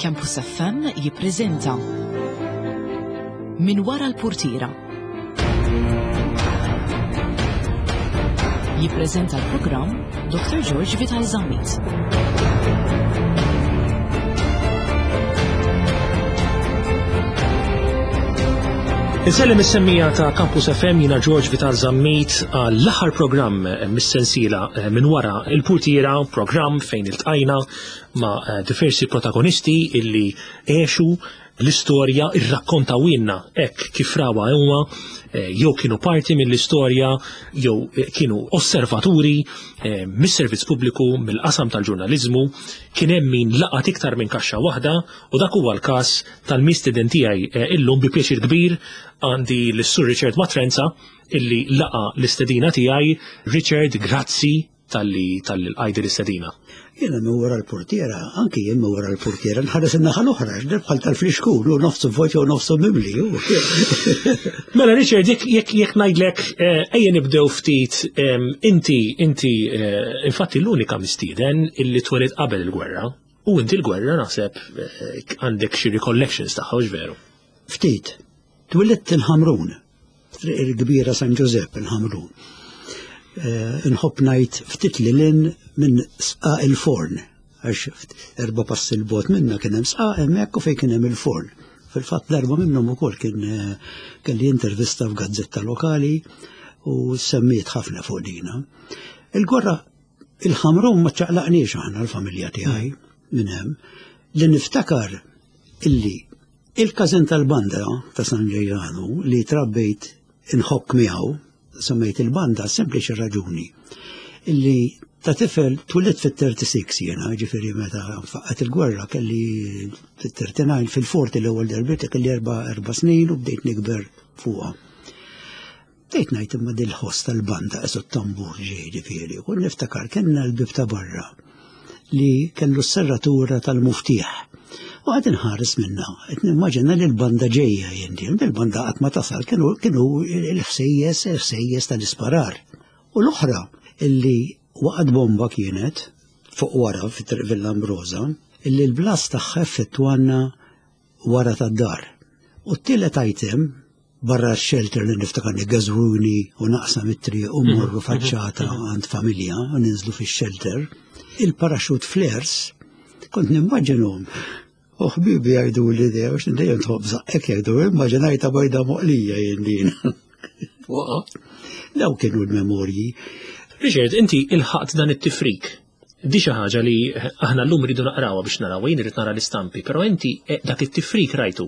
Campus FM jippreżenta Min wara l-purtiera. Jippreżenta l-programm Dr. George Vital Zammit. Insellem is-semmija ta' Campus FM jina George Vital Zammit għall-aħħar programm mis-sensiela eh, minn wara il-purtiera, programm fejn iltqajna ma' eh, diversi protagonisti illi għexu l-istorja irrakkontawilna hekk kif rawha huma eh, jew kienu parti mill-istorja jew eh, kienu osservaturi eh, mis-servizz pubbliku mill-qasam tal-ġurnaliżmu kien hemm min laqat iktar minn kaxxa waħda u dak huwa l-każ tal-mistieden tiegħi illum bi pjaċir kbir għandi l-Sur Richard Matrenza illi laqa l-istedina tiegħi. Richard, grazzi talli talli l-qajdi l-istedina. Jiena minn wara l-portiera, anki jien minn wara l-portiera, nħares in-naħa l-oħra, x'dir bħal tal-flixkun, u nofsu vojt jew nofsu mimli. Mela Richard, jekk jekk jekk ngħidlek eh, ejja nibdew ftit inti inti eh, infatti l-unika mistieden illi twelid qabel il-gwerra u inti l-gwerra naħseb eh, għandek xi recollections tagħha veru. Ftit, twilidt il-Ħamrun, Triq il-Kbira San Ġużepp il-Ħamrun. Eh, inħobb ngħid ftit li lin minn sqaq il-forn, għax erba' passi l-bot minna kien hemm sqaq hemmhekk u fejn kien hemm il-forn. Fil-fatt darba minnhom ukoll kien eh, kelli intervista f'gazzetta lokali u semmiet ħafna fuq dina. Il-gwerra il-Ħamrun ma ċaqlaqniex aħna l-familja tiegħi minn hemm li niftakar illi Il-każin tal-banda ta' San Ġejjanu li trabbejt inħokk miegħu, semmejt il-banda sempliċi raġuni illi ta' tifel twilidt fit-36 jiena, ġifieri meta faqqat il-gwerra kelli fit-39 fil-40 l-ewwel darbiet kelli erba' erba' snin u bdejt nikber fuqha. Bdejt ngħid imma dil-ħoss tal-banda qisu t-tambur ġej ġifieri, u niftakar kellna l-bib ta' barra li kellu s-serratura tal-muftieħ. U għad inħares minna, qed nimmaġina li l-banda ġejja jien il-banda qatt ma tasal kienu kienu l-ħsejjes, ħsejjes tal-isparar. U l-oħra illi waqgħet bomba kienet fuq wara fit-triq Villa Ambrosa, illi l-blas tagħha effettwanna wara tad-dar. U t-tielet item barra x-shelter li niftakar niggażwuni u naqsam it-triq u mmorru mhm. faċċata mhm. għand familja u ninżlu fix-shelter, il-parachute flares kont nimmaġinhom. U ħbibi jgħidu li dejjem għax dejjem tħobb żaqqek jgħidu immaġinajta bajda moqlija jien din. Daw kienu l-memorji. Richard, inti ilħaqt dan it-tifrik Di xi ħaġa li aħna llum rridu naqrawha biex naraw, jien irid nara l-istampi, però inti eh, dak it-tifrik rajtu.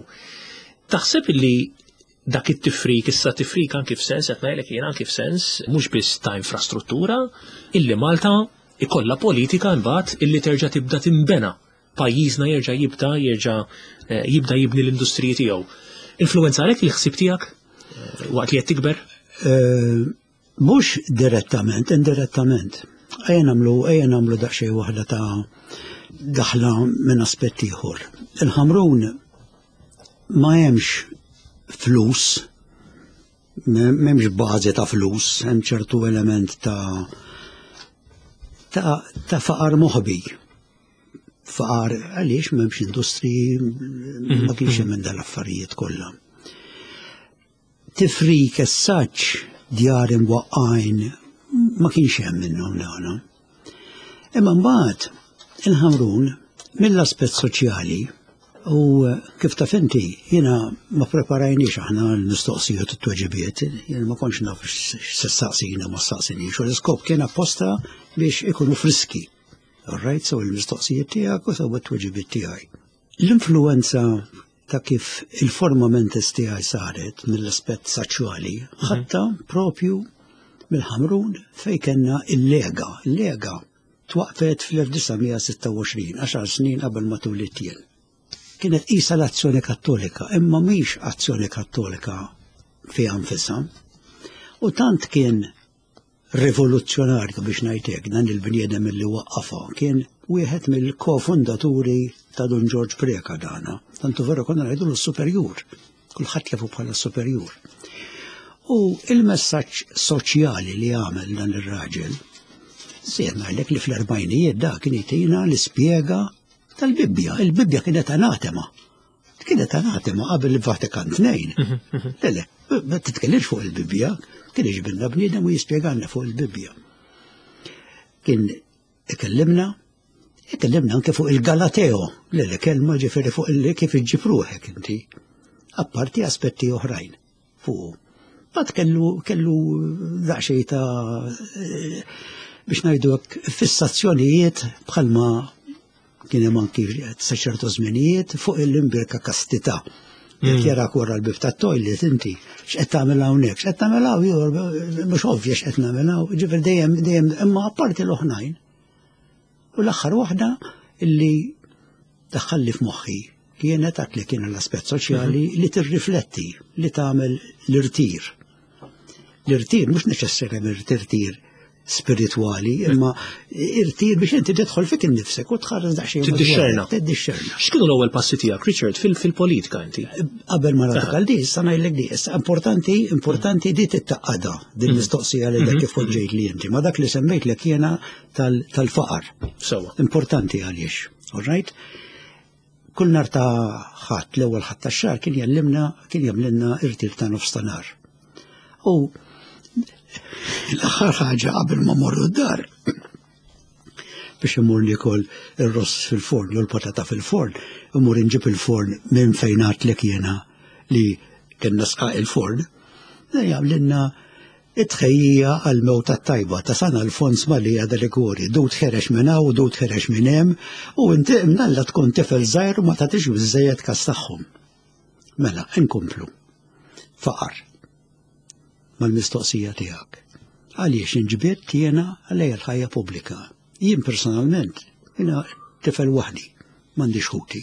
Taħseb li dak it-tifrik, issa tifrik anki f'sens, qed ngħidlek jien anki f'sens, mhux biss ta' infrastruttura, illi Malta ikollha politika mbagħad illi terġa' tibda timbena pajjiżna jerġa' jibda jerġa' eh, jibda jibni l-industriji tiegħu. Influenza għalek il-ħsieb tiegħek eh, waqt li qed tikber? Mhux direttament, indirettament. Ejja nagħmlu ejja nagħmlu daqsxejn waħda ta' daħla minn aspett ieħor. Il-Ħamrun ma hemmx flus, m'hemmx bażi ta' flus, hemm ċertu element ta' ta', ta faqar moħbi. Faqar għaliex m'hemmx industriji, ma kienx hemm minn dal-affarijiet kollha. Tifrik essaġġ djar imwaqqgħin ma kienx hemm minnhom dawna. Imma mbagħad il-Ħamrun mill-aspett soċjali u kif taf inti jiena ma preparajniex aħna l-mistoqsijiet u t-tweġibiet, jiena ma kontx naf x'se staqsina ma staqsinix u l-iskop kien apposta biex ikunu friski. All right, so il-mistoqsijiet tiegħek u sew it-tweġibiet tiegħi. L-influenza ta' kif il-forma mentis tiegħi saret mill-aspett saċjali, mhm. ħatta propju mill-Ħamrun fej kellna il-Lega. Il-Lega twaqfet fl-1926, 10 snin qabel ma tulit jien. Kienet qisha l-azzjoni kattolika, imma mhix azzjoni kattolika fiha nfisha. U tant kien rivoluzzjonarju biex ngħid hekk dan il-bniedem li waqqafha kien wieħed mill-kofundaturi ta' Dun Ġorġ Preca dana. Tantu veru konna ngħidu l-superjur. Kulħadd jafu bħala superjur. U il-messaġġ soċjali li għamel dan ir-raġel, Sejt ngħidlek li fl-erbajnijiet da kien jtina l-ispjega. Tal-Bibbja, il-Bibbja kienet anatema. Kienet anatema qabel il-Vatikan 2. Le, le, ma titkellimx fuq il-Bibbja, kien iġbilna bniedem u jispjegalna fuq il-Bibbja. Kien ikellimna, ikellimna anke fuq il-Galateo, le le kelma ġifieri fuq il kif iġġib ruħek inti. Apparti aspetti oħrajn fuq. Bat kellu kellu daqsxejn ta' biex ngħidu fissazzjonijiet bħalma kien hemm anki sa ċertu żminijiet fuq il-imbirka kastità. Jekk mm. jarak wara l-bib tat-toilet inti, x'qed tagħmel hawnhekk, x'qed tagħmel hawn, mhux ovvja x'qed nagħmel hawn, ġifier dejjem dejjem imma apparti l-oħrajn. U l-aħħar waħda illi daħħalli f'moħħi kienet għat li kien l-aspett soċjali mhm. li tirrifletti li tagħmel l-irtir. L-irtir mhux neċessarjament irtir spiritwali, imma irtir biex inti tidħol fik innifsek u tħares daqsxejn. Tiddixxerna. Tiddixxerna. X'kienu l-ewwel passi tiegħek, Richard, fil-politika inti? Qabel ma nagħtik għal di, issa ngħidlek di, issa importanti, importanti di tittaqqada din mhm. mistoqsija li dak mhm. kif poġġejt li inti, ma dak li semmejtlek jiena tal-faqar. Sewa. Importanti għaliex, all right? Kull nar ta' ħadd, l-ewwel ħadd tax-xahar kien jallimna, kien jagħmlilna irtir ta' nofs ta' nar. U l-aħħar ħaġa qabel ma morru d-dar biex imur nikol ir-ross fil-forn jew l-patata fil-forn, imur inġib il-forn minn fejn għadtlek jiena li kellna sqaq il-forn, jagħmlilna It-tħejjija għall-mewta t-tajba ta' San Alfons Maria de Liguori, dud ħerex minn hawn u dud ħerex minn hemm, u inti imnalla tkun tifel żgħir u ma tagħtix biżżejjed kas tagħhom. Mela, inkomplu. Faqar. Mal-mistoqsija tiegħek. Għaliex inġbidt jiena lejn il-ħajja pubblika? Jien personalment, jiena tifel waħdi, m'għandix ħuti.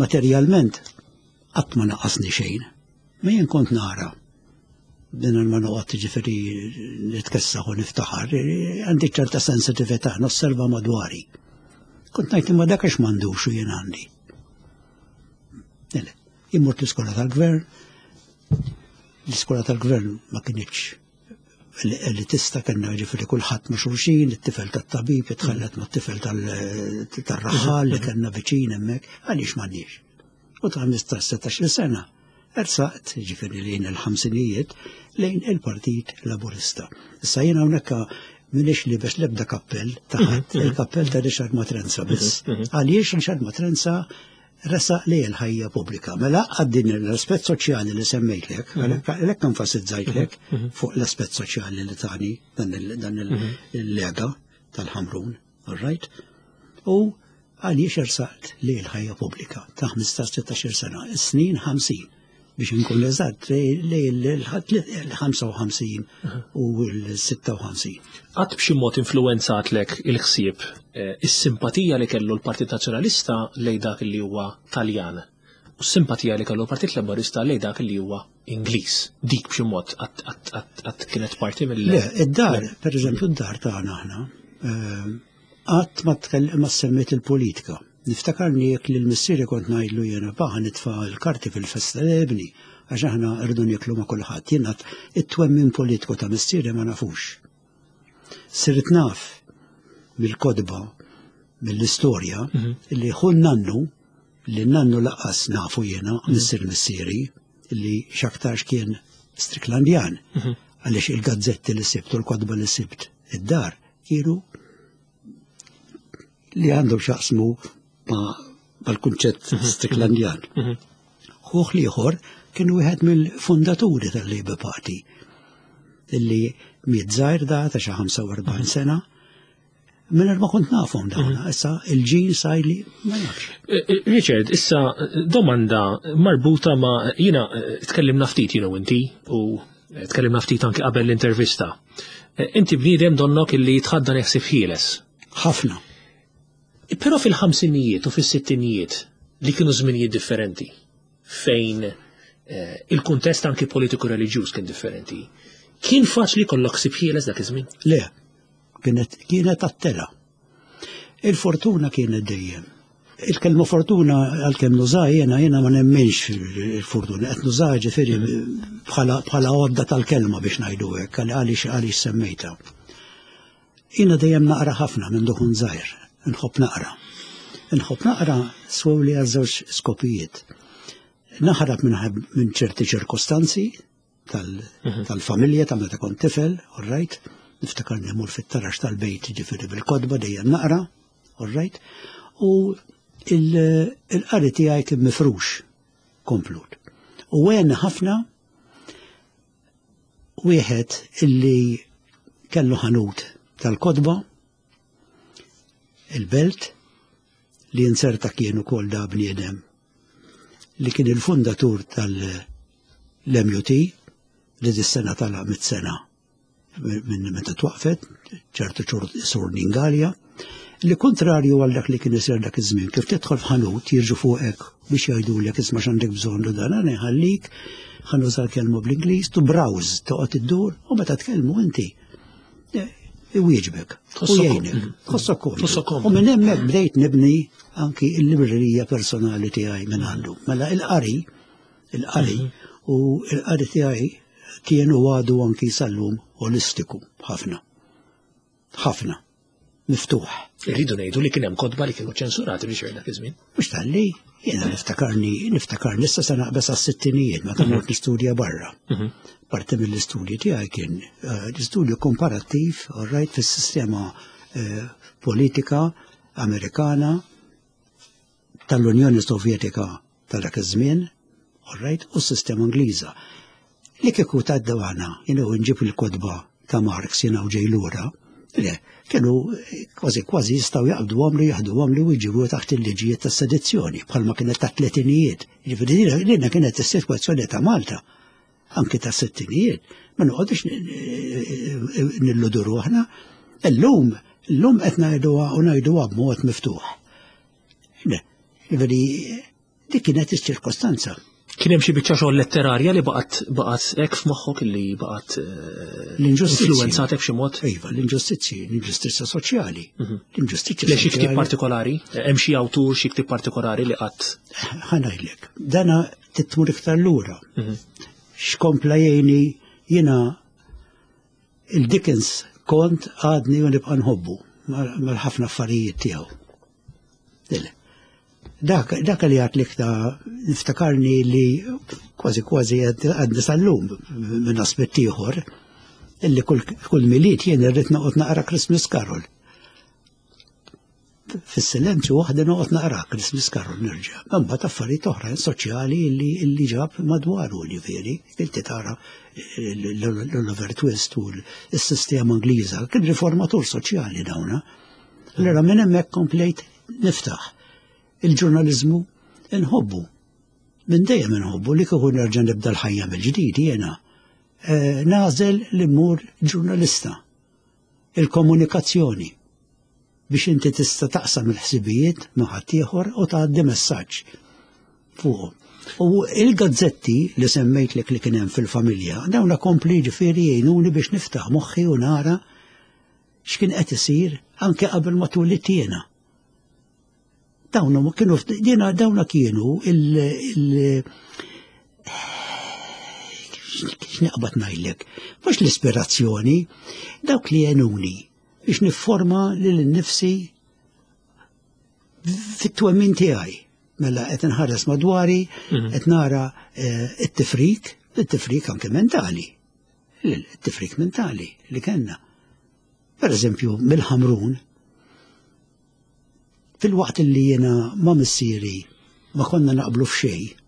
Materjalment, qatt ma naqasni xejn. Ma jien kont nara din ma noqgħod ġifieri nitkessaħ u niftaħar, għandi ċerta sensitività, nosserva madwari. Kont ngħid imma dak għax m'għandux u jien għandi. Jien mort l-iskola tal-gvern, l-iskola tal-gvern ma kienx elitista kellna ġifieri kulħadd ma' xulxin, it-tifel tat-tabib jitħallet ma' tifel tal-raħal li kellna viċin hemmhekk, għaliex m'għandniex. U ta' 15-16 sena ersaqt, ġifieri lejn il-ħamsinijiet, lejn il-Partit Laburista. Issa jien hawnhekk minix libes l-ebda kappell ta' mhm, ħadd, mhm. il-kappell ta' Richard Matrenza biss. Mhm, Għaliex Richard Matrenza resaq li l-ħajja pubblika. Mela għaddin l-aspett soċjali li semmejtlek, għalhekk enfasizzajtlek fuq l-aspett soċjali li tani dan il-lega tal-Ħamrun, all right? U għaliex ersaqt li l-ħajja pubblika ta' 15-16 sena, snin 50 biex nkun eżatt li l-55 u l-56. Qatt b'xi mod influwenzatlek il-ħsieb eh, is-simpatija li kellu l-Partit Nazzjonalista lej dak li huwa Taljan u s-simpatija li kellu l-Partit Laburista lej dak li huwa Ingliż. Dik b'xi mod qatt kienet parti mill- Le, id-dar, per eżempju, id-dar tagħna aħna, eh, qatt ma ma semmiet il-politika. Niftakarni jekk lil missieri kont ngħidlu jiena pa ħa nitfa' l-karti fil-festa le ibni għax aħna rridu nieklu ma' kulħadd. Jien għad it-twemmin politiku ta' missieri ma nafux. Sirt naf mill-kotba, mill-istorja, mhm. li hu nannu, li nannu laqqas nafu jiena, mhm. missier missieri, li x'aktarx kien Stricklandjan, mhm. għaliex il-gazzetti li sibt u l-kotba li sibt id-dar kienu li għandhom xaqsmu mal-kunċett mhm. Stricklandjan. Mhm. Ħuħ liħor kien wieħed mill-fundaturi tal-Labour Party illi miet żgħir da ta' xi 45 mhm. sena Minn ma kont nafhom dawn, issa il-ġin sajli ma nafx. Eh, eh, Richard, issa domanda marbuta ma jina eh, tkellimna ftit jiena inti u tkellimna ftit anki qabel l-intervista. Inti bniedem donnok illi jitħaddan ħsieb ħieles. Ħafna. Però fil-ħamsinijiet u fis-sittinijiet li kienu żminijiet differenti fejn eh, il-kuntest anki politiku reliġjuż kien differenti. Kien faċli kollok ħsieb ħieles dak iż-żmien? Le, kienet kienet attela. Il-fortuna kienet dejjem. Il-kelma fortuna għalkemm nuża jiena jiena ma nemminx il-fortuna, qed nuża ġifieri bħala għodda tal-kelma biex ngħidu hekk għaliex għaliex semmejta. Jiena dejjem naqra ħafna minn duħun żgħir, nħobb naqra. Inħobb naqra swewli għal żewġ skopijiet. Naħrab minn ċerti ċirkostanzi mhm. tal-familja ta' meta kont tifel, all right? Niftakar nimur fit-tarax tal-bejt ġifieri bil-kotba dejjem naqra, all right? U il-qari tiegħi kien mifrux komplut. U għen ħafna wieħed illi kellu ħanut tal-kotba il-belt li inserta kien ukoll da bniedem li kien il-fundatur tal-MUT li dis-sena tala mit-sena minn meta twaqfet, ċertu ċur sur Ningalja, li kontrarju għal dak li kien isir dak iż-żmien, kif tidħol f'ħanut jirġu fuqek biex jgħidulek isma' x'għandek bżonn u dan għana jħallik, ħa nuża l-kelma bl-Ingliż, to browse, toqgħod iddur u meta tkellmu inti iwieġbek. U jgħinek. Tħossok komdu. U minn hemmhekk bdejt nibni anki l-librerija personali tiegħi minn għandu. Mela il-qari, il-qari mhm. u il-qari tiegħi kienu għadu anki sal-lum olistiku ħafna. Ħafna. Miftuħ. Irridu ngħidu li kien hemm kotba li kienu ċensurati biex dak iż-żmien. Mhux talli, jiena niftakarni, niftakarni issa se naqbeż għas-sittinijiet meta mort mhm. nistudja barra. Mhm. Parti mill-istudji tiegħi kien eh, l-istudju komparattiv, all right, fis-sistema eh, politika Amerikana tal-Unjoni Sovjetika ta' dak iż-żmien, all right, u s-sistema Ingliża. Li kieku tad-dwana, jiena nġib il-kotba ta' Marx jiena u ġej lura, le, kienu kważi kważi jistgħu jaqbduhom li jaħduhom li u jġibu taħt il-liġijiet tas-sedizzjoni, bħalma kienet ta' tletinijiet. Ġifieri din kienet is-sitwazzjoni ta' Malta, anki ta' sittinijiet, ma noqgħodux nilludu ruħna. Illum, illum qed ngħiduha u ngħiduha b'mod miftuħ. Ġifieri dik kienet iċ-ċirkostanza. Kien hemm xi biċċa xogħol letterarja li baqgħet baqgħet hekk f'moħħok li baqgħet eh, l-inġustizzji influwenzatek b'xi mod? Iva, l-inġustizzji, l-inġustizzja soċjali. Mhm. L-inġustizzja. Le xi ktieb partikolari? Hemm xi awtur xi ktieb partikolari li qatt? Ħa ngħidlek, dana titmur iktar lura. Mhm. X'kompla jgħini jiena il-Dickens kont għadni u nibqa' nħobbu mal-ħafna affarijiet tiegħu. Dak, dak li għat li ta' niftakarni li kważi kważi għadni sal-lum minn aspett ieħor illi kull miliet jien irrid noqgħod naqra Christmas Carol. Fis-silenzju waħda noqgħod naqra Christmas Carol nerġa'. Imbagħad affarijiet oħra soċjali li li ġab madwaru ġifieri, inti tara l-Oliver Twist u s-sistema Ingliża, kien riformatur soċjali dawna. Allura minn hemmhekk komplejt niftaħ. Il-ġurnaliżmu nħobbu. Minn dejjem inħobbu li kieku nerġa' nibda l-ħajja mill-ġdid jiena. Eh, nagħżel li mmur ġurnalista. Il-komunikazzjoni biex inti tista' taqsam il-ħsibijiet ma' ħaddieħor u tgħaddi messaġġ fuqhom. U il-gazzetti li semmejtlek li kien hemm fil-familja, dawn kompli ġifieri jgħinuni biex niftaħ moħħi u nara x'kien qed isir anke qabel ma twelidt jiena. Dawn huma kienu jiena dawna kienu il x'naqbad ngħidlek, mhux l-ispirazzjoni, dawk li għenuni biex nifforma lil nifsi fit-twemmin tiegħi. Mela qed inħares madwari, mhm. qed nara eh, it-tifrik, it-tifrik anke mentali. It-tifrik mentali li kellna. Per eżempju, mill-Ħamrun, fil-waqt li jiena ma' missieri ma konna naqblu f'xejn,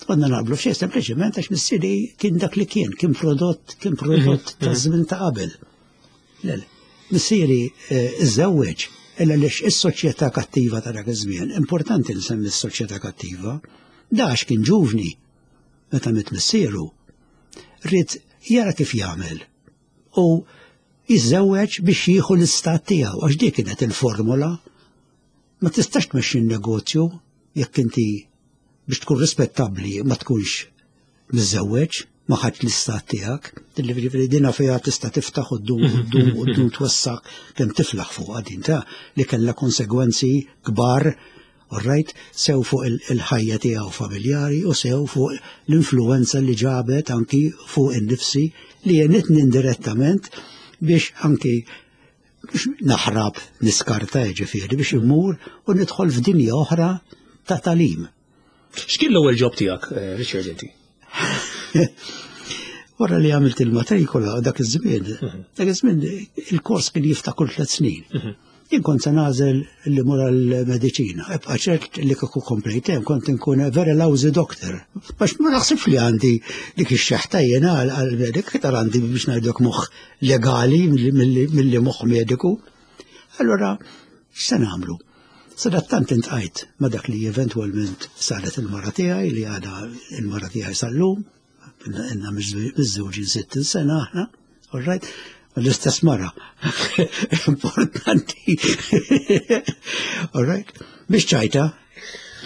konna naqblu f'xejn sempliċement għax missieri kien dak li kien, kien prodott, kien prodott mhm, ta' mhm. żmien ta' qabel. Missieri eh, iżżewweġ illa lix is-soċjetà kattiva ta' dak iż-żmien, importanti nsemmi s-soċjetà kattiva, dax kien ġuvni meta mit missieru, ried jara kif jagħmel u jiżżewweġ biex jieħu l-istat tiegħu għax dik kienet il-formula. Ma tistax tmexxi n-negozju jekk inti biex tkun rispettabbli ma tkunx miżżewweġ, ma ħadd l-istat tiegħek, ġifieri dina fiha tista' tiftaħ u ddum u ddum u ddum twassak kemm tiflaħ fuqha din ta' li kellha konsegwenzi kbar all right, sew fuq il-ħajja tiegħu familjari u sew fuq l-influenza li ġabet anki fuq in-nifsi li jenitni indirettament biex anki Biex naħrab niskarta ġifieri biex immur u nidħol f'dinja oħra ta' talim. X'kien l-ewwel job tiegħek, eh, Richard inti? Wara li għamilt il-matrikola dak iż-żmien, mhm. dak iż-żmien il-kors kien jiftaħ kull tliet snin. Mhm. Jien kont se nagħżel li mur għall-mediċina. Ebqa' ċert li kieku komplejt hemm kont inkun very lousy doctor. Għax ma naħsibx li għandi dik ix-xeħta jiena għall-medik, iktar għandi biex ngħidlek moħħ legali milli moħħ mediku. Allura, x'se nagħmlu? Sadattant intqajt ma' dak li eventwalment saret il-mara tiegħi li għadha il-mara tiegħi sal-lum, inna miżżewġin 60 sena aħna, all right? L-istess mara. Importanti. All right? Biex ċajta,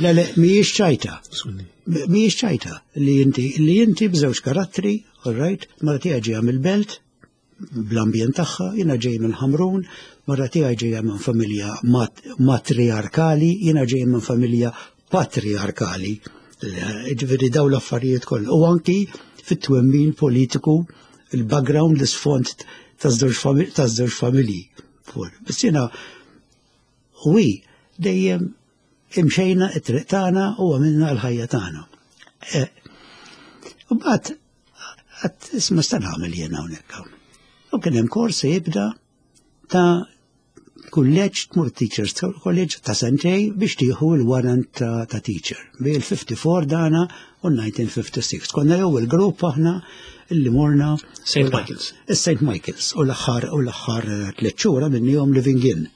le le, mhijiex ċajta. Mhijiex ċajta li inti li inti b'żewġ karattri, all right? Mara tiegħi ġejja mill-belt, bl-ambjent tagħha, jiena ġej minn Ħamrun, mara tiegħi ġejja minn familja matriarkali, jiena ġej minn familja patriarkali. Ġifieri daw l-affarijiet kollha. U anki fit-twemmin politiku, il-background, l-isfond taż-żewġ familji. Biss jiena u hi dejjem imxejna it-triq tagħna u għamilna l-ħajja tagħna. E, u mbagħad għat isma sta nagħmel jien hawnhekk. U kien hemm kors jibda ta' kulleġġ tmur teachers college ta' sentej biex tieħu l-warrant ta', ta teacher. Bej il-54 dana u 1956. Konna jew il-grupp aħna illi morna St. Michael's. St. Michael's u l-aħħar u l-aħħar tliet xhur minnihom living in.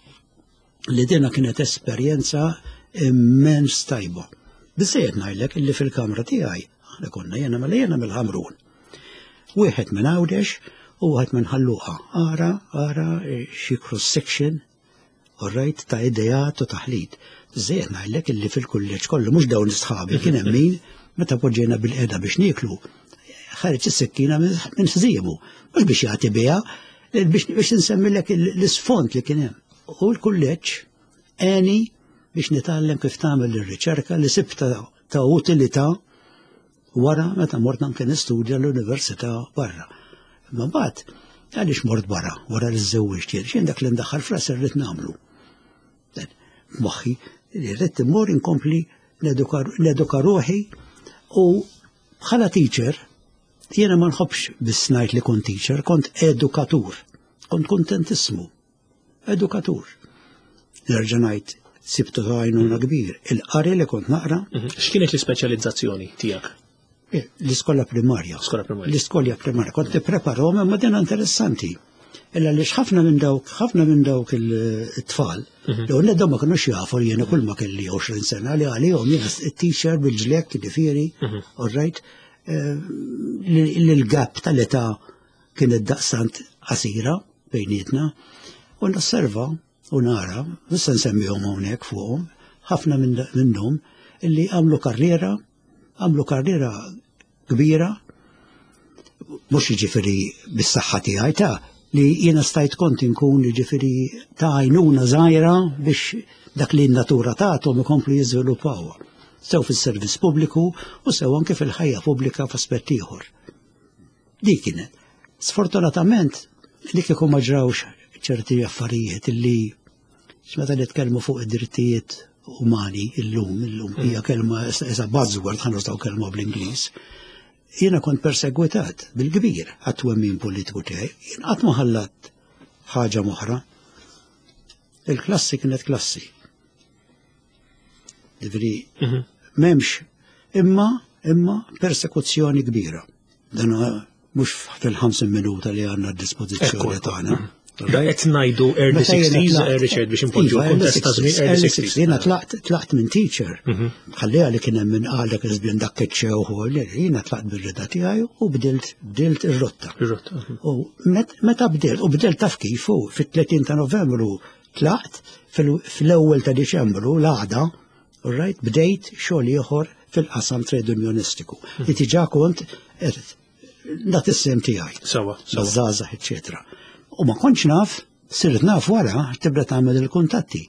Li dina kienet esperjenza immens tajba. Biżejjed ngħidlek illi fil-kamra tiegħi aħna konna jena mela jena mill-Ħamrun. Wieħed minn Għawdex u wieħed minn Ħalluqa. Ara, ara xi cross section, all right, ta' ideat u taħlit. Biżejjed ngħidlek illi fil-kulleġġ kollu mhux dawn is-sħabi kien hemm min meta poġġejna bil-qeda biex nieklu ħareġ is-sikkina minn ħżiemu, mhux biex jagħti biha, biex biex insemmilek l-isfond li kien hemm. U l-kulleġġ għeni biex nitgħallem kif tagħmel ir-riċerka li sibta ta' utilità wara meta mort anke nistudja l-università barra. Imma mbagħad għaliex mort barra wara li żżewwiġt jien, xejn dak li ndaħħal f'rasi rrid nagħmlu. Moħħi li rrid immur inkompli neduka ruħi u bħala teacher jiena ma nħobbx biss ngħid li kont teacher, kont edukatur. Kont kontentissmu. Edukatur. Nerġa' ngħid sibtu ta' għajnuna kbir. Il-qari li kont naqra. Mhm. X'kienet l-ispeċjalizzazzjoni tiegħek? Eh, l-iskola primarja. L-iskola primarja. Kont nippreparahom imma din interessanti. Illa li ħafna minn dawk, ħafna minn dawk il-tfal, mhm. li għonna ma kienux jafu li jena kull ma kelli 20 sena li għalihom jena t-teacher bil-ġlek, ġifieri, mhm. all right, eh, li l-gap tal-età kienet daqstant qasira bejnietna u nosserva u nara, mhux se nsemmihom hawnhekk fuqhom, ħafna minnhom illi għamlu karriera, għamlu karriera kbira, mhux jiġifieri bis-saħħa tiegħi ta' li jiena stajt kont inkun jiġifieri ta' għajnuna żgħira biex dak li n-natura tagħthom ikomplu jiżviluppawha sew fis-servizz pubbliku u sew anke fil-ħajja pubblika f'aspett ieħor. Dik kienet. Sfortunatament, li kieku ma ġrawx ċerti affarijiet illi meta nitkellmu fuq id-drittijiet umani illum, illum mm. hija kelma isa buzzword ħa nużaw kelma bl-Ingliż. Jiena kont persegwitat bil-kbir għat-twemmin politiku tiegħi, jien qatt ma ħallat ħaġa moħra. Il-klassi kienet klassi. Ġifieri mhm. m'hemmx imma imma persekuzzjoni kbira. Dan mhux fil-50 minuta li għandna d-dispożizzjoni tagħna. Mhm. Da qed ngħidu early 60s, eh, Richard biex impoġġu iva, kuntest ta' żmien early 60s. Jiena tlaqt tlaqt minn teacher. Mhm. Ħalliha li kien hemm min qal dak iż-żmien dak iċ-ċew jiena tlaqt bir-rida tiegħi u bdilt bdilt ir-rotta. Ir-rotta. U meta bdilt u bdilt taf kif u fit-30 ta' Novembru Tlaqt fl-ewwel ta' Diċembru l-għada, right, bdejt xogħol ieħor fil-qasam trade unionistiku. Li diġà kont nagħti is-sem tiegħi. Sawa, Żgħażagħ, eċetera. U ma kontx naf, sirt naf wara tibda tagħmel il-kuntatti.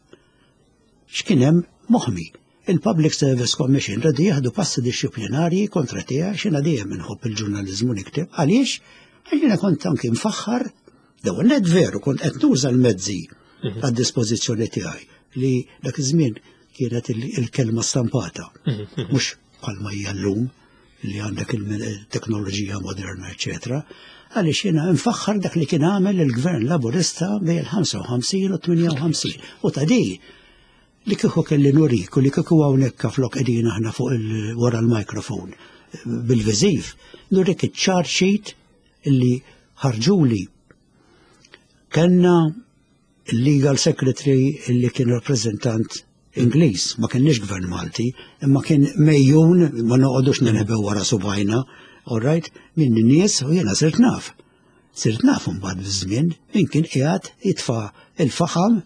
X'kien hemm moħmi. Il-Public Service Commission rridu jieħdu passi dixxiplinarji kontra tiegħi x'jiena dejjem inħobb il-ġurnaliżmu nikteb. Għaliex? Għax jiena kont anki mfaħħar. L-ewwel net veru kont qed nuża l-mezzi mhm. għad-dispożizzjoni tiegħi li dak iż-żmien kienet il-kelma stampata, mhm, mhm. mhux bħalma hija llum li għandek il-teknoloġija moderna, eċetera, għaliex jiena nfaħħar dak li kien għamel il-Gvern Laburista bejn il-55 u 58. U ta' di li kieku kelli nurik u li kieku hawnhekk flok qegħdin aħna fuq wara l-mikrofon bil-viżiv, nurik iċ-charge sheet illi ħarġuli kellna il-legal secretary illi kien rappreżentant Ingliż, ma kienx gvern Malti, imma kien mejjun, ma noqogħdux ninħbew wara subajna, all right, minn nies u jiena sirt naf. Sirt naf imbagħad biż-żmien min kien qiegħed jitfa' il-faħam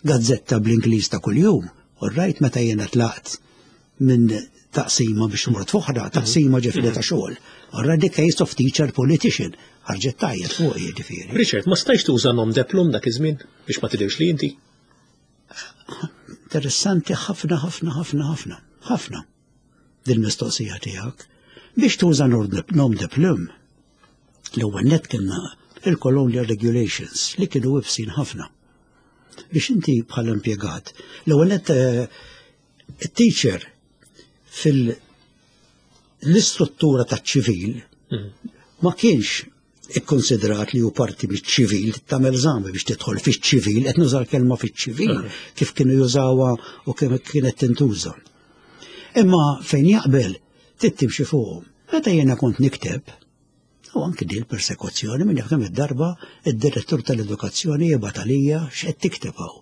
gazzetta bl-Ingliż ta' kuljum, all right, meta jiena tlaqt minn taqsima biex mort fuħra, taqsima ġifiri ta' xogħol. All right, the case of teacher politician, ħarġet tajjeb fuq jiġifieri. Richard, ma stajx tuża nom deplum dak iż-żmien biex ma tidhirx li inti? Interessanti ħafna, ħafna, ħafna, ħafna, ħafna dil-mistoqsija tiegħek. Biex tuża nom deplum, l-ewwel net kienna il-Colonial Regulations li kienu ibsin ħafna. Biex inti bħala impjegat, l-ewwel net eh, teacher fil- l-istruttura taċ-ċivil mm. ma kienx ikkonsidrat li hu parti miċ-ċivil tagħmel eżami biex tidħol fiċ-ċivil, qed nuża l-kelma fiċ-ċivil mm. kif kienu jużawha u kif kienet tintuża. Imma fejn jaqbel trid timxi fuqhom. Meta jiena kont nikteb, U anki din persekuzzjoni minn kemm id-darba id-direttur tal-edukazzjoni jibgħat għalija x'qed tikteb hawn.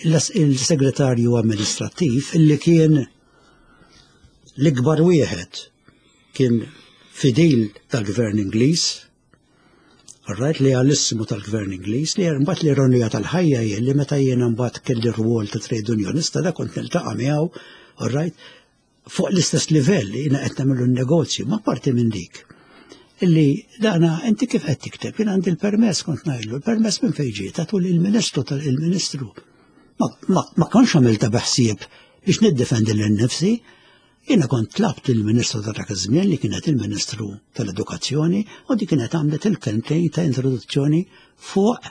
Il-segretarju amministrattiv illi kien l-ikbar wieħed kien fidil tal-gvern Ingliż, Right, li għalissimu tal-gvern Ingliż li mbagħad l-ironija tal-ħajja hi li meta jiena mbagħad kelli rwol ta' trade unionista da kont niltaqa' miegħu, right, fuq l-istess livell jiena qed nagħmlu n-negozju, ma parti minn dik. Illi dana inti kif qed tikteb, jien għandi l-permess kont ngħidlu, l-permess minn fejn ġie tagħtu lill-Ministru tal-Ministru. Ma, ma kontx għamilta beħsieb biex niddefendi lil nifsi, jiena kont tlabt il-Ministru ta' dak iż-żmien li kienet il-Ministru tal-Edukazzjoni u di kienet għamlet il-kelmtejn ta' introduzzjoni fuq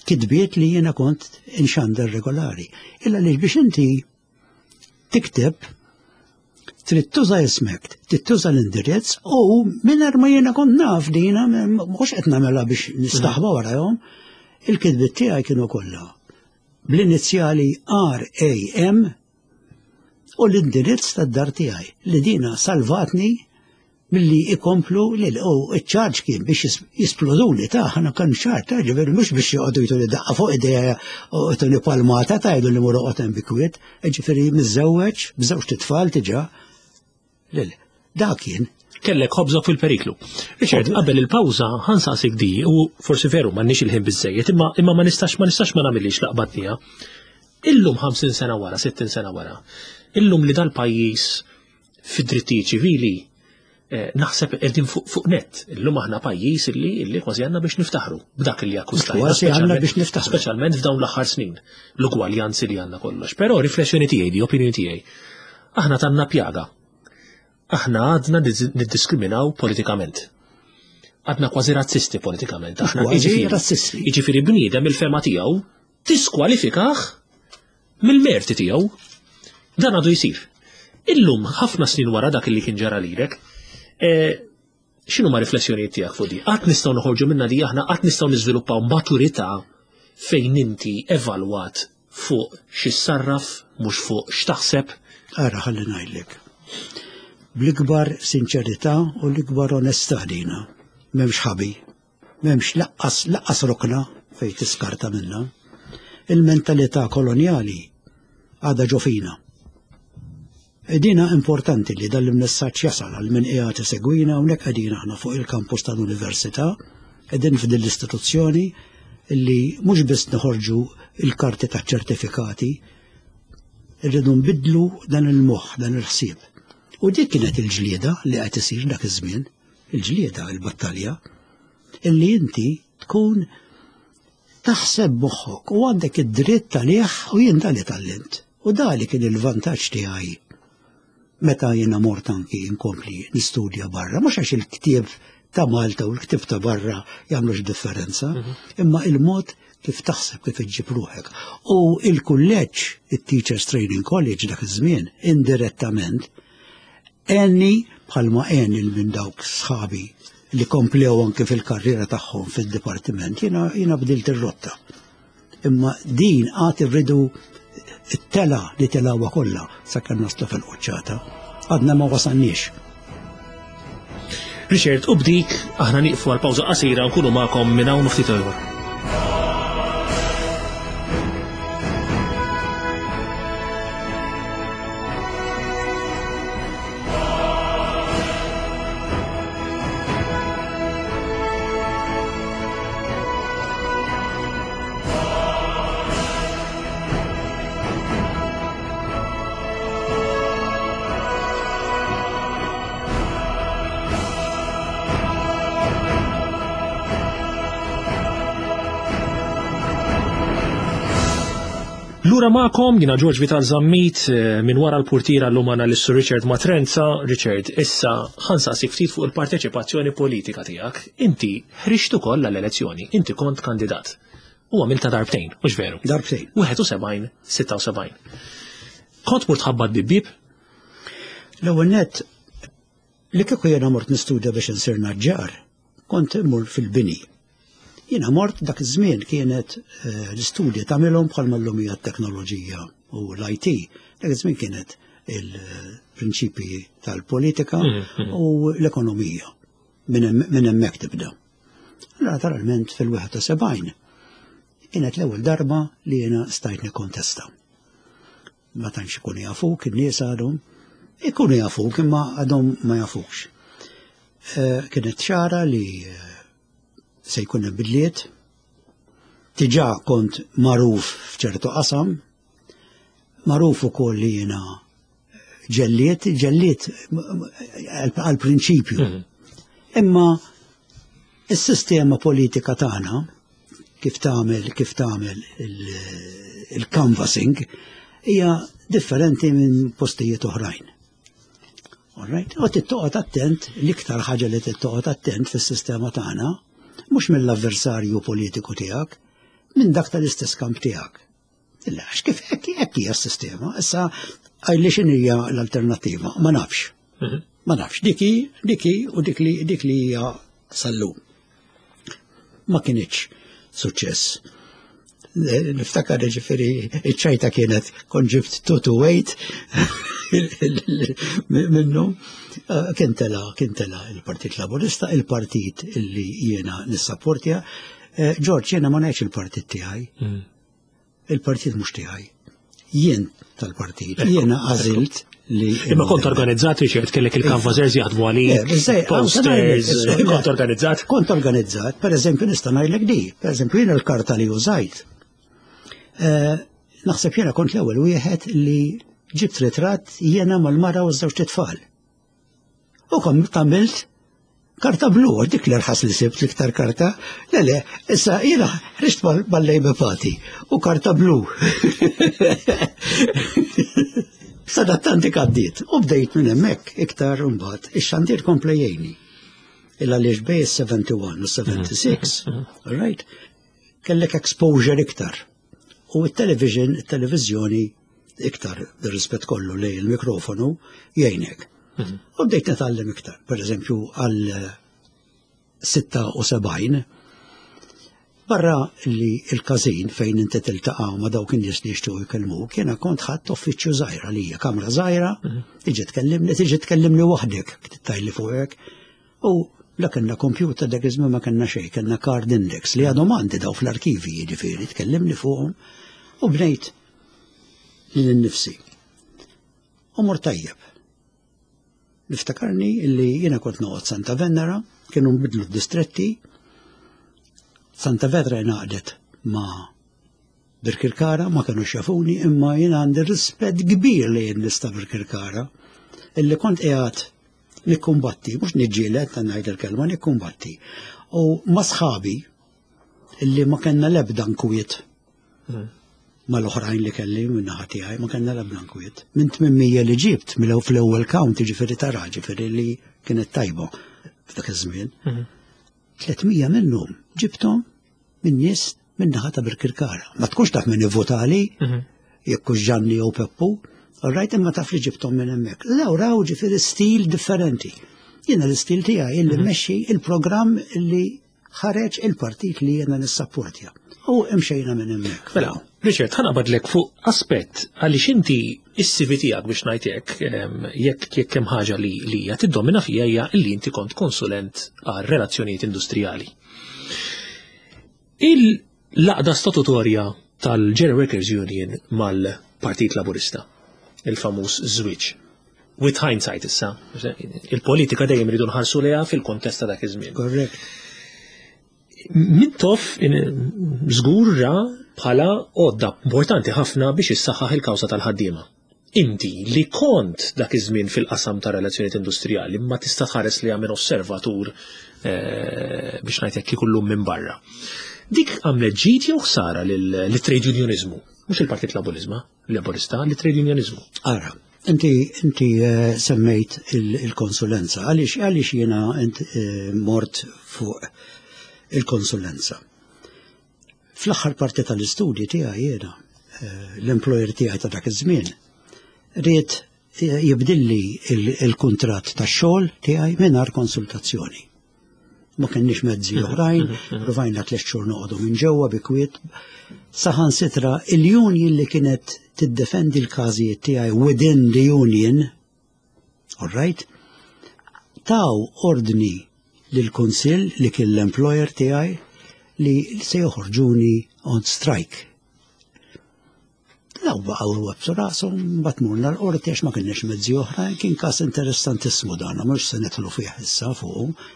kitbiet li jiena kont inxandar regolari. Illa li biex inti tikteb trid tuża ismek, trid tuża l-indirizz u mingħajr ma jiena kont naf dina mhux qed nagħmilha biex nistaħba mm. warahom, il-kitbiet tiegħi kienu kollha bl-inizjali RAM u l-indirizz tad-dar tiegħi li dina salvatni milli ikomplu li u iċ-ċarġ kien biex jisploduli ta' ħana kan ċar ta' ġifieri mhux biex joqogħdu jtuni daqqa fuq idea u jtuni palmata ta' jgħidu li mur oqgħod hemm bikwiet, ġifieri miżżewweġ b'żewġ titfal diġà. Lil, dak kien. Kellek ħobżok fil-periklu. Richard, qabel il-pawża ħansaqsik di u forsi veru m'għandniex il-ħin biżejjed, imma imma ma nistax ma nistax ma nagħmilix laqbatnija. Illum 50 sena wara, 60 sena wara, illum li dal-pajjiż fid-drittijiet ċivili eh, naħseb qegħdin fuq fuq net. Illum aħna pajjiż illi illi kważi għandna biex niftaħru b'dak li akkwistajna. Kważi għandna biex niftaħru. Speċjalment f'dawn l-aħħar snin, l-ugwaljanzi li għandna kollox. Però riflessjoni tiegħi, di opinjoni tiegħi, aħna tanna pjaga. Aħna għadna niddiskriminaw politikament. Għadna kważi razzisti politikament. Aħna kważi razzisti. Jiġifieri bniedem il-fema tiegħu tiskwalifikah mill-merti tiegħu. Dan għadu jsir. Illum ħafna snin wara dak li kien ġara lilek, eh, x'inhu ma riflessjonijiet tiegħek fuq di? Qatt nistgħu noħorġu minna di aħna qatt nistgħu niżviluppaw maturità fejn inti evalwat fuq xi sarraf mhux fuq x'taħseb. Ara ħalli ngħidlek. Bl-ikbar sinċerità u l-ikbar onestà dina. M'hemmx ħabi. M'hemmx laqqas laqqas rokna fejn tiskarta minnha. Il-mentalità kolonjali għadha ġo fina. E dina importanti li dan il-messaġġ jasal għal min qiegħed isegwina hawnhekk qegħdin aħna fuq il-kampus tal-università, qegħdin f'din l-istituzzjoni li mhux biss noħorġu il-karti taċ-ċertifikati, irridu nbiddlu dan il-moħħ, dan il-ħsieb. U dik kienet il-ġlieda li qed isir dak iż-żmien il-ġlieda, il-battalja, illi inti tkun taħseb moħħok u għandek id-dritt għalih u jien dali tallimt. U dali kien il-vantaġġ tiegħi meta jiena mort anki nkompli nistudja barra, mhux għax il-ktieb ta' Malta u l-ktieb ta' barra jagħmlux differenza, imma il-mod kif taħseb kif iġġib ruħek. U il-kulleġġ, il-Teachers Training College dak iż-żmien, indirettament, għenni bħalma għen il minn dawk sħabi li komplew anke fil-karriera tagħhom fil-dipartiment, jiena jiena bdilt ir-rotta. Imma din għad irridu it-tela li telawha kollha sakemm naslu fil-quċċata. Għadna ma wasalniex. Richard, u b'dik aħna nieqfu għal pawża qasira nkunu magħkom minn hawn ftit ieħor. Lura magħkom jiena George Vital Zammit eh, minn wara l-purtira l għandna l Richard Matrenza. Richard, issa ħansaqsik ftit fuq il-parteċipazzjoni politika tiegħek. Inti ħriġt ukoll għall-elezzjoni, inti kont kandidat. U għamilta darbtejn, mhux veru? Darbtejn. 71, 76. Kont mort tħabbat bieb? L-ewwel nett li kieku jiena mort nistudja biex insir naġġar, kont immur fil-bini. Jiena mort dak iż-żmien kienet eh, l-istudji tagħmilhom bħalma llum hija t-teknoloġija u l-IT. Dak iż-żmien kienet il-prinċipji tal-politika mm, mm. u l-ekonomija. Minn hemmhekk tibda. Naturalment fil-71 kienet l-ewwel darba li jiena stajt nikkontesta. Ma tantx ikunu jafuk, in-nies għadhom, ikunu jafuk imma għadhom ma jafukx. Eh, kienet ċara li eh, se jkun hemm bidliet, diġà kont magħruf f'ċertu qasam, magħruf ukoll li jiena ġelliet, ġelliet għal-prinċipju. Mhm. Imma is-sistema politika tagħna kif tagħmel kif tagħmel il-canvassing hija differenti minn postijiet oħrajn. All right? U tittoqgħod attent, l-iktar ħaġa li tittoqgħod attent fis-sistema tagħna, mhux mill-avversarju politiku tiegħek, minn dak tal-istess kamp tiegħek. Illa, għax kif hekk hekk hija s-sistema, issa għajli x'inhija l-alternattiva, ma nafx. Mhm. Ma nafx, diki, diki u dik li dik li hija sallum. Ma kinitx suċċess. Eh, niftakar ġifieri iċ-ċajta kienet kont ġibt 2 to 8 minnu. Eh, kien tela, kien tela il-Partit Laburista, il-partit illi jiena nissapportja. Eh, George, jiena ma ngħidx il-partit tiegħi. Mm. Il-partit mhux tiegħi. Jien tal-partit, jiena għażilt li. Imma kont organizzat Richard, kellek il-canvassers jaħdmu għalik, posters, kont organizzat? Kont organizzat, per eżempju nista' ngħidlek di, per eżempju jiena l-karta li użajt. Eh, naħseb jiena kont l-ewwel wieħed li ġibt ritratt jiena mal-mara u ż-żewġ tfal. U kom tagħmilt karta blu, dik li rħas li sibt l-iktar karta. Le, le, issa jiena ħriġt mal-Labour Party u karta blu. Sadattant dik għaddiet u bdejt minn hemmhekk iktar imbagħad ix-xandir kompla jgħinni. Illa għaliex bej 71 u 76, all right, kellek exposure iktar. U t-television, it-televiżjoni iktar bir-rispett kollu li il-mikrofonu jgħinek. Mhm. U bdejt nitgħallem iktar, per eżempju għal 76 barra li il-każin fejn inti tiltaqa' ma' dawk in-nies li jixtiequ jkellmuk, jiena kont ħadd uffiċċju żgħira lija, kamra żgħira, mhm. tiġi tkellimni, tiġi tkellimni waħdek, tittajli fuqek. U la kellna computer dak iż-żmien ma kellna xejn, kellna card index li għadhom għandi daw fl-arkivi jiġifieri, tkellimni fuqhom u bnejt lil innifsi. U mor tajjeb. Niftakarni illi jiena kont noqgħod Santa Venera, kienu nbidlu d-distretti, Santa Venera ingħaqdet ma' Birkirkara ma kienu xafuni imma jiena għandi rispett kbir li jien nista' Birkirkara illi kont qiegħed nikkumbatti, mhux niġġieled ta' ngħid il-kelma, nikkumbatti. U ma' sħabi illi ma kellna l-ebda nkwiet hmm. mal-oħrajn li kelli minn naħa tiegħi ma kellna l-ebda nkwiet. Minn 800 li ġibt mill fl-ewwel count ġifieri tara ġifieri li kienet tajba. f'dak iż-żmien. 300 minnhom ġibthom minn nies minn naħa ta' Birkirkara. Ma tkunx taf min ivvotali, jekk hux Ġanni jew Peppu, rajt imma taf li ġibthom minn hemmhekk. Daw raw ġifieri stil differenti. Jiena l-istil tiegħi illi mmexxi il-programm li ħareġ il-partit li jiena nissapportja. U imxejna minn hemmhekk. Mela, Richard, ħa naqbadlek fuq aspett għaliex inti is-CV tiegħek biex ngħid hekk, jekk jekk hemm ħaġa li li hija tiddomina fija hija li inti kont konsulent għal relazzjonijiet industrijali. Il-laqda statutorja tal-General Workers Union mal-Partit Laburista, il-famuż żwieġ. With hindsight issa, il-politika dejjem rridu nħarsu lejha fil-kontest ta' dak iż-żmien. Korrekt. Mintoff żgur ra bħala għodda importanti ħafna biex issaħħaħ il-kawża tal-ħaddiema. Inti li kont dak iż-żmien fil-qasam ta' relazzjonijiet industrijali ma tista' tħares li minn osservatur eh, biex ngħid hekk ikullum minn barra. Dik għamlet ġid jew ħsara lit-trade unionizmu, mhux il-Partit Laburizma, Laburista, lit-trade unionizmu. Ara, inti inti eh, semmejt il-konsulenza, għaliex għaliex jiena eh, mort fuq il-konsulenza. Fl-aħħar parti tal-istudji tiegħi jiena, eh, l-employer tiegħi ta' dak iż-żmien, ried eh, jibdilli il-kuntratt tax-xogħol tiegħi mingħajr konsultazzjoni. Ma kenniex mezzi mhm, oħrajn, mhm, mhm. provajna tliet xhur noqogħdu minn ġewwa bi kwiet. Saħansitra il-union li kienet tiddefendi l-każijiet tiegħi within the union, all right, taw ordni lill-kunsill li kien l-employer tiegħi li se joħorġuni on strike. Daw baqgħu websu rashom, mbagħad morna l-qorti għax ma kienx mezzi oħra, kien każ interessantissimu dan, mhux se nidħlu fih issa fuq.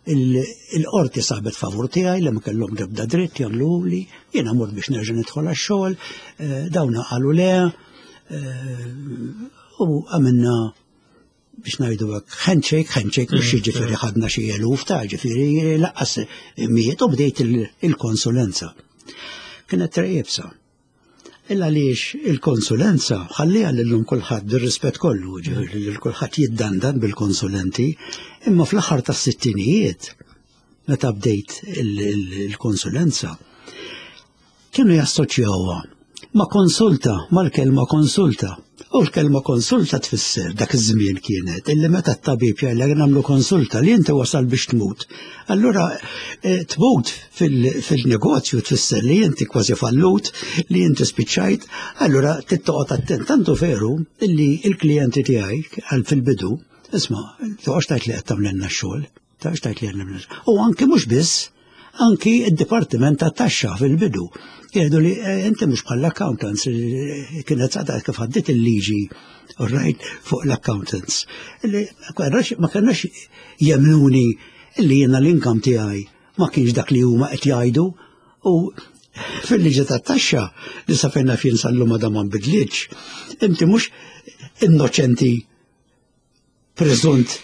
Il-qorti sabet favur tiegħi li ma kellhom ebda dritt jagħmlu li, jiena mort biex nerġa' nidħol għax-xogħol, eh, dawna qalu le, eh, u għamilna biex ngħidu hekk handshake, handshake mhux mm, jiġifieri mm. ħadna xi eluf ta' ġifieri laqqas miet u bdejt il-konsulenza. Kienet trejjebsa. Illa għaliex il-konsulenza ħalliha lillum kulħadd bir-rispett kollu, ġifieri lil kulħadd jiddandan bil-konsulenti, imma fl-aħħar tas-sittinijiet meta bdejt il-konsulenza kienu jassoċjawha ma' konsulta, mal-kelma konsulta. U l-kelma konsulta tfisser dak iż-żmien kienet illi meta t-tabib jgħidlek nagħmlu konsulta li inti wasal biex tmut. Allura eh, tmut fil-negozju tfisser li inti kważi fallut, li inti spiċċajt, allura tittoqgħod attent. Tantu veru illi il-klijenti tiegħi għal fil-bidu, isma' toqgħodx tgħid li qed tagħmlilna x-xogħol. Ta' xtajt li għandna U anki mhux biss, anki id-Dipartiment ta' Taxxa fil-bidu. Jgħidu li eh, inti mhux bħall-accountants eh, kienet għadha kif għaddiet il-liġi right fuq l-accountants. Li ma kellux jemnuni li jiena l-inkam tiegħi ma kienx dak li huma qed jgħidu u fil-liġi tat-taxxa li sa fejna fien sal-lum għadha ma nbidlitx, inti mhux innoċenti preżunt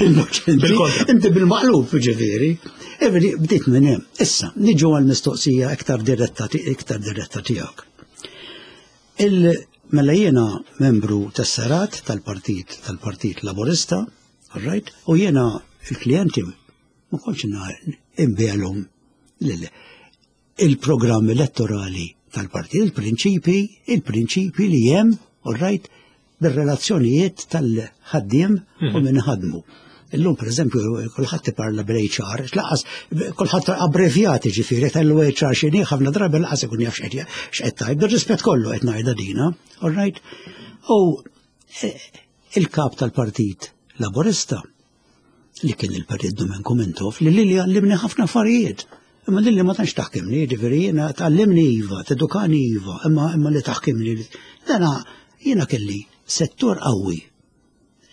innoċenti. Inti bil-maqlub ġifieri. Everi, bdiet minn hemm. Issa, niġu għal mistoqsija iktar diretta iktar diretta tiegħek. Il mela jiena membru tas-serat tal-Partit tal-Partit Laburista, all right, u jiena il-klijenti ma kontx inbielhom lil il-programm elettorali tal-partit, il-prinċipi, il-prinċipi li hemm, all right, bir-relazzjonijiet tal-ħaddiem u mhm. minn ħadmu. Illum, per eżempju, kulħadd iparla bil-HR, laqas kulħadd abbrevjati ġifieri tal-HR x'inhi ħafna drabi laqas ikun jaf x'qed tgħid, bir-rispett kollu qed ngħidha dina, all right? U eh, il-kap tal-Partit Laburista li kien il-Perit Domenku Mintoff li lili għallimni ħafna affarijiet. Imma lili ma tantx taħkimni, ġifieri jiena tgħallimni iva, tedukani iva, imma imma li taħkimni. Dana jiena kelli settur qawwi.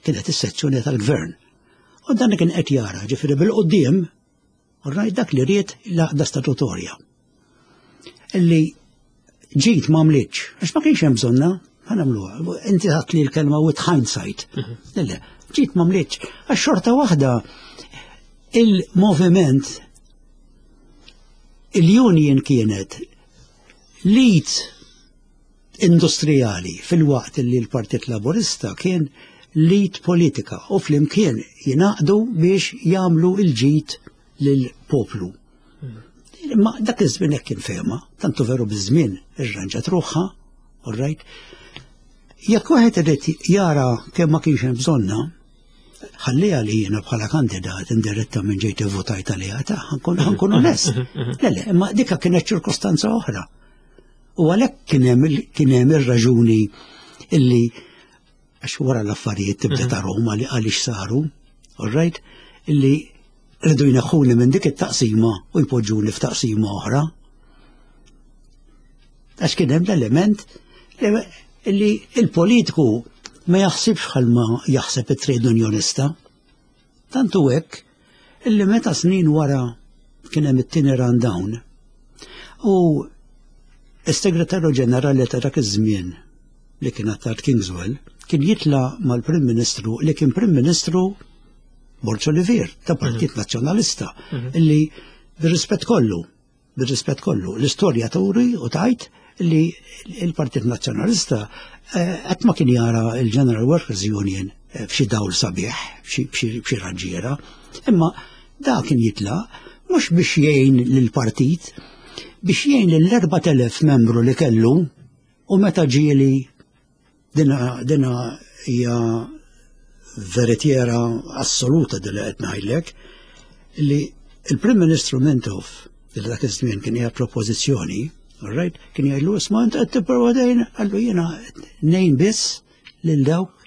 Kienet is-sezzjoni tal-gvern. U dan kien qed jara, ġifieri bil-qudiem, rajt dak li ried l-għaqda statutorja. Illi ġit ma għamlitx, għax ma kienx hemm bżonna, ħa nagħmluha. Inti ħadd li l-kelma with hindsight. Mhm. Le, ġit ma għamlitx, għax xorta waħda il-moviment il-union kienet lead industrijali fil-waqt li l-Partit Laburista kien l-id politika u flimkien jingħaqdu biex jagħmlu l-ġid lill-poplu. Imma dak iż-żmien hekk kien fehma, tantu veru biż-żmien irranġat ruħha, all right? Jekk wieħed irid jara kemm ma kienx hemm bżonna, ħalliha li jiena bħala kandidat indiretta minn ġejt votajt għaliha ta' ħankun onest. Le, le, imma dika kienet ċirkostanza oħra. U għalhekk kien hemm ir-raġuni illi għax wara l-affarijiet tibda mhm. ta' Roma li għaliex saru, all right, illi rridu jneħħuni minn dik it-taqsima u jpoġġuni f'taqsima oħra. Għax kien hemm l-element li il-politiku ma jaħsibx bħalma jaħseb it-trade unionista. Tantu hekk illi meta snin wara kien hemm it-tieni rundown u s-Segretarju Ġenerali ta' dak iż-żmien li kien Attard Kingswell kien jitla mal-Prim Ministru li kien Prim Ministru Borġ Olivier ta' Partit mhm. Nazzjonalista mhm. illi bir-rispett kollu Bir-rispett kollu, l-istorja turi u tgħid li l-Partit Nazzjonalista eh, qatt ma kien jara il-General Workers Union eh, f'xi dawl sabiħ, f'xi raġġiera, imma da kien jitla mhux biex jgħin lill-partit, biex jgħin lill-4000 membru li kellu u meta ġieli Dina dina hija veritiera assoluta din li qed ngħidlek li il-Prim Ministru Mintoff li dak iż-żmien kien qiegħed fl-oppożizzjoni, all right, kien jgħidlu isma' int qed tipprova dejn, qallu jiena ngħin biss lil dawk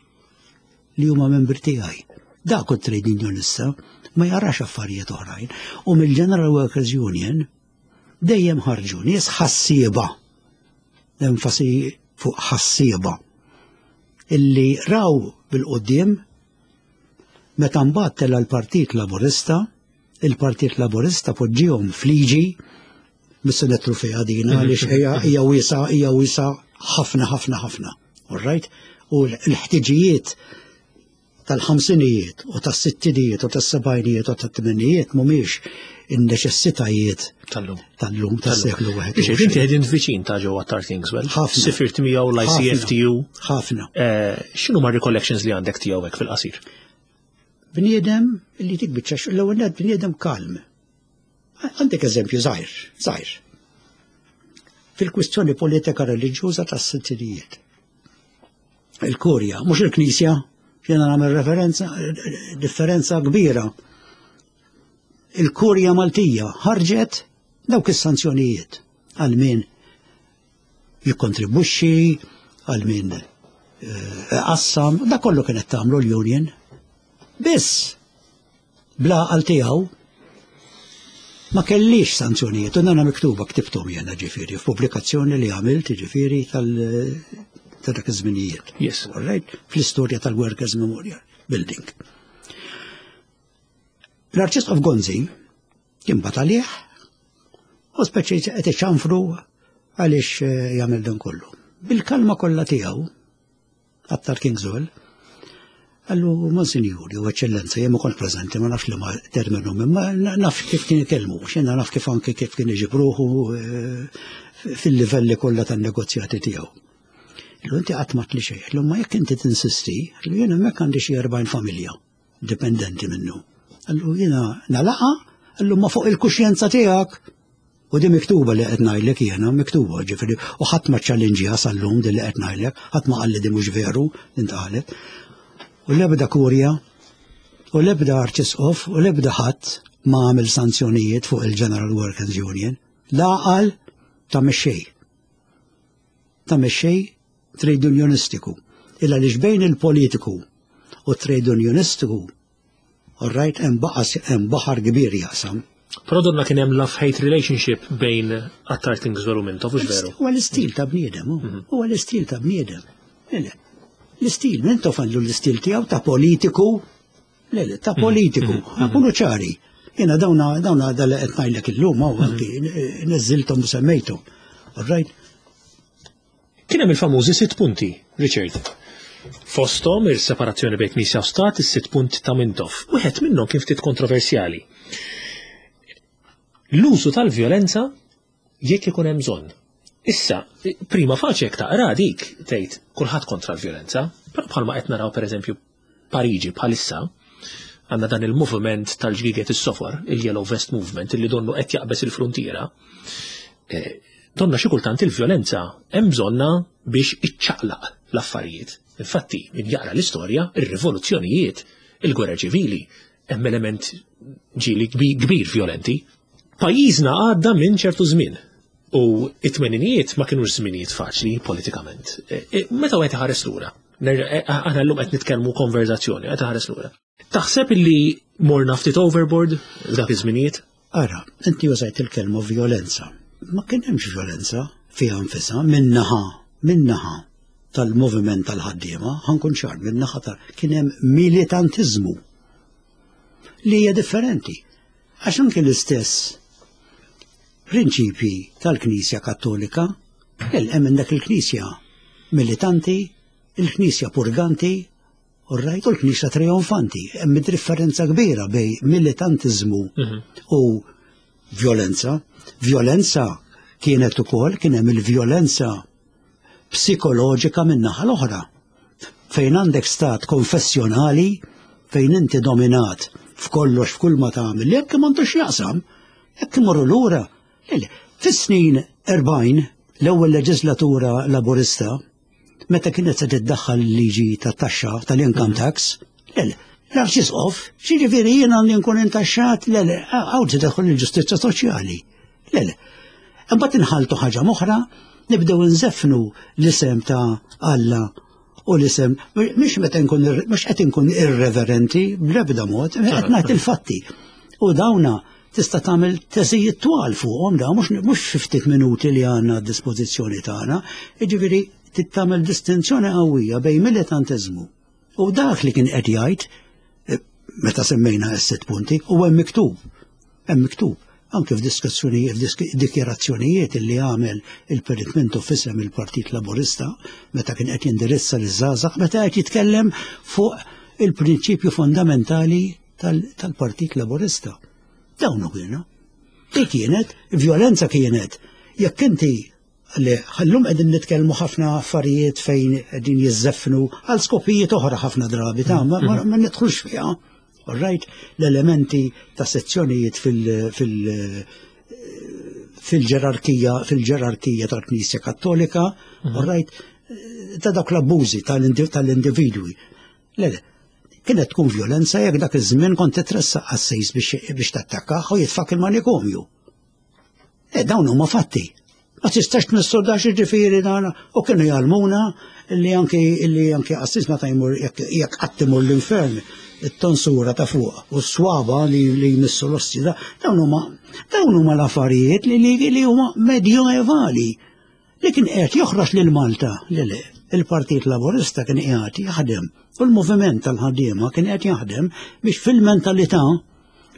li huma membri tiegħi. Dak hu trade unionista ma jarax affarijiet oħrajn. U mill-General Workers Union dejjem ħarġu nies ħassieba, enfasi fuq ħassieba, illi raw bil-qudiem meta mbagħad tela' l-Partit Laburista, il-Partit Laburista poġġihom f'liġi mhux se nidħlu fiha dina għaliex hija hija wiesa hija wiesa ħafna ħafna ħafna. All right? U l-ħtiġijiet tal-ħamsinijiet u tas-sittinijiet u tas-sebgħinijiet u tat-tmenijiet mhumiex in-neċessitajiet tal-lum tal-lum tas-seklu wieħed. Biex inti qegħdin viċin ta' ġewwa Attard Kingswell. Ħafna. Sifirt miegħu l-ICFTU. Ħafna. Eh, x'inhu ma' recollections li għandek tiegħu hekk fil-qasir? Bniedem li tik biċċa l-ewwel nett bniedem kalm. Għandek eżempju żgħir, żgħir. Fil-kwistjoni politika reliġjuża tas-sittinijiet. Il-Kurja, mhux il-Knisja, jiena nagħmel referenza, differenza kbira. Il-Kurja Maltija ħarġet dawk is-sanzjonijiet għal min jikkontribwixxi, għal min eh, qassam, da kollu kienet tagħmlu l-union. Biss Bl-għaqal tiegħu ma kellix sanzjonijiet, u nana miktuba ktibthom jena ġifieri, f'pubblikazzjoni li għamilt ġifieri tal ta' dak iż-żminijiet. Yes. All right? Fl-istorja tal-Workers Memorial Building. L-Arċisqof Gonzi kien bat għalih u speċi qed iċanfru għaliex eh, jagħmel dan kollu. Bil-kalma kollha tiegħu Attard Kingswell, Għallu, Monsinjur, jew Eċċellenza, jien ma kont preżenti, ma nafx li ma terminu, imma naf kif kien ikellmu, x'jiena naf kif anke kif kien iġib ruħu eh, fil-livelli kollha tan-negozjati tiegħu. Illu inti qatt ma tli xejn, illu ma jekk inti tinsisti, illu jien hemmhekk għandi xi 40 familja dipendenti minnu. Allu jiena nalaqa, allu ma fuq il-kuxjenza tiegħek. U di miktuba li qed ngħidlek jiena, miktuba ġifieri, u ħadd ma ċċallinġiha sal-lum din li qed ngħidlek, ħadd ma qalli di mhux veru li ntqalet. U l-ebda kurja, u l-ebda arċisqof, u l-ebda ħadd ma għamel sanzjonijiet fuq il-General Workers Union. L-għaqal ta' mexxej. Ta' mexxej trade unionistiku. Illa li bejn il-politiku u trade unionistiku All right, hemm baqas hemm baħar kbir jaqsam. Però donna kien hemm love-hate relationship bejn Attard Kingswell u Mintoff, hux veru? Huwa l-istil ta' bniedem, mhm. huwa l-istil ta' bniedem. L-istil, Mintoff għandu l-istil tiegħu ta' politiku, le, le, ta' mhm. politiku, mhm. nkunu ċari. Jiena dawna dawna dal qed ngħidlek illum hawn anki neżżilthom u semmejthom. All right? Kien hemm il-famużi sitt punti, Richard. Fosthom ir-separazzjoni bejn Knisja u Stat, is-sitt punti ta' Mintoff. Wieħed minnhom kien ftit kontroversjali. L-użu tal-vjolenza jekk ikun hemm bżonn. Issa, prima faċi jekk taqra dik tgħid kulħadd kontra l-vjolenza, però bħalma qed naraw pereżempju Pariġi bħalissa, għandna dan il-moviment tal-ġgiget is-sofor, il-Yellow Vest Movement, illi donnu qed jaqbeż il-fruntiera. Eh, donna xi kultant il-vjolenza hemm bżonna biex iċċaqlaq l-affarijiet. Infatti, min jaqra l-istorja, ir-rivoluzzjonijiet, il-gwerra ċivili, hemm element ġieli kbir violenti. Pajjiżna għadda minn ċertu żmien u it-tmeninijiet ma kienux żminijiet faċli politikament. E, e, meta wieħed iħares lura, e, aħna llum qed nitkellmu konverzazzjoni, qed iħares lura. Taħseb illi morna ftit overboard f'dak iż-żminijiet? Ara, inti użajt il-kelma violenza. Ma kien hemmx violenza fiha nfisha minnaħa, minnaħa tal-moviment tal-ħaddiema, ħankun ċar, minnaħa tal kien hemm militantiżmu li hija differenti. Għax anke l-istess prinċipji tal-Knisja Kattolika, hemm dak il-Knisja militanti, il-Knisja purganti, u rajt u l-Knisja trionfanti. Hemm differenza kbira bej militantiżmu mhm. u violenza. Violenza kienet ukoll kien hemm il-violenza psikoloġika min-naħa l-oħra. Fejn għandek stat konfessjonali fejn inti dominat f'kollox f'kull ma tagħmel, jekk m'għandux jaqsam, jekk imorru lura. Fis-snin 40 l-ewwel leġislatura laburista meta kienet se tiddaħħal liġi tat-taxxa tal-income mhm. tax, le, l-arċisqof, xiġifieri jien għandi nkun intaxxat, le, le, għaw tidħol il-ġustizzja soċjali. Le, le. Imbagħad inħaltu ħaġa moħra, nibdew nżeffnu l-isem ta' Alla u l-isem, mhux meta nkun mhux qed inkun irreverenti bl-ebda mod, qed ngħid il-fatti. U dawna tista' tagħmel teżijiet twal fuqhom da mhux mhux fi ftit minuti li għandna d-dispożizzjoni tagħna, jiġifieri tagħmel distinzjoni qawwija bejn militantiżmu u dak li kien qed jgħid eh, meta semmejna s-sitt punti u hemm miktub. Hemm miktub anke f'diskussjonijiet, f'dikjarazzjonijiet li għamel il-Perit Mintoff f'isem il-Partit Laburista meta kien qed jindirizza liż-żgħażagħ meta qed jitkellem fuq il-prinċipju fondamentali tal-Partit Laburista. Dawn kienu. Di kienet, violenza kienet. Jekk inti li ħallum qegħdin nitkellmu ħafna affarijiet fejn qegħdin jiżżeffnu għal skopijiet oħra ħafna drabi ta' ma, ma, ma nidħlux fiha. All right, l-elementi ta' sezzjonijiet fil-, fil fil-ġerarkija fil-ġerarkija tal-Knisja Kattolika, mhm. all right, ta' dawk l-abbużi tal-individwi. Le, le, kienet tkun violenza jekk dak iż-żmien kont titressaq għas-sejs biex tattakkaħ u jitfak il-manikomju. E dawn huma fatti. Ma tistax tmissu dax ġifieri dan u kienu jgħallmuna li anki li anki qassis meta jmur jekk qatt imur l-infern it-tonsura ta' fuq u s-swaba li li jmissu l-ossi dawn huma dawn huma l-affarijiet li li huma medjoevali li kien qed joħroġ lil Malta li le il-Partit Laburista kien qiegħed jaħdem u l-moviment tal-ħaddiema kien qed jaħdem biex fil-mentalità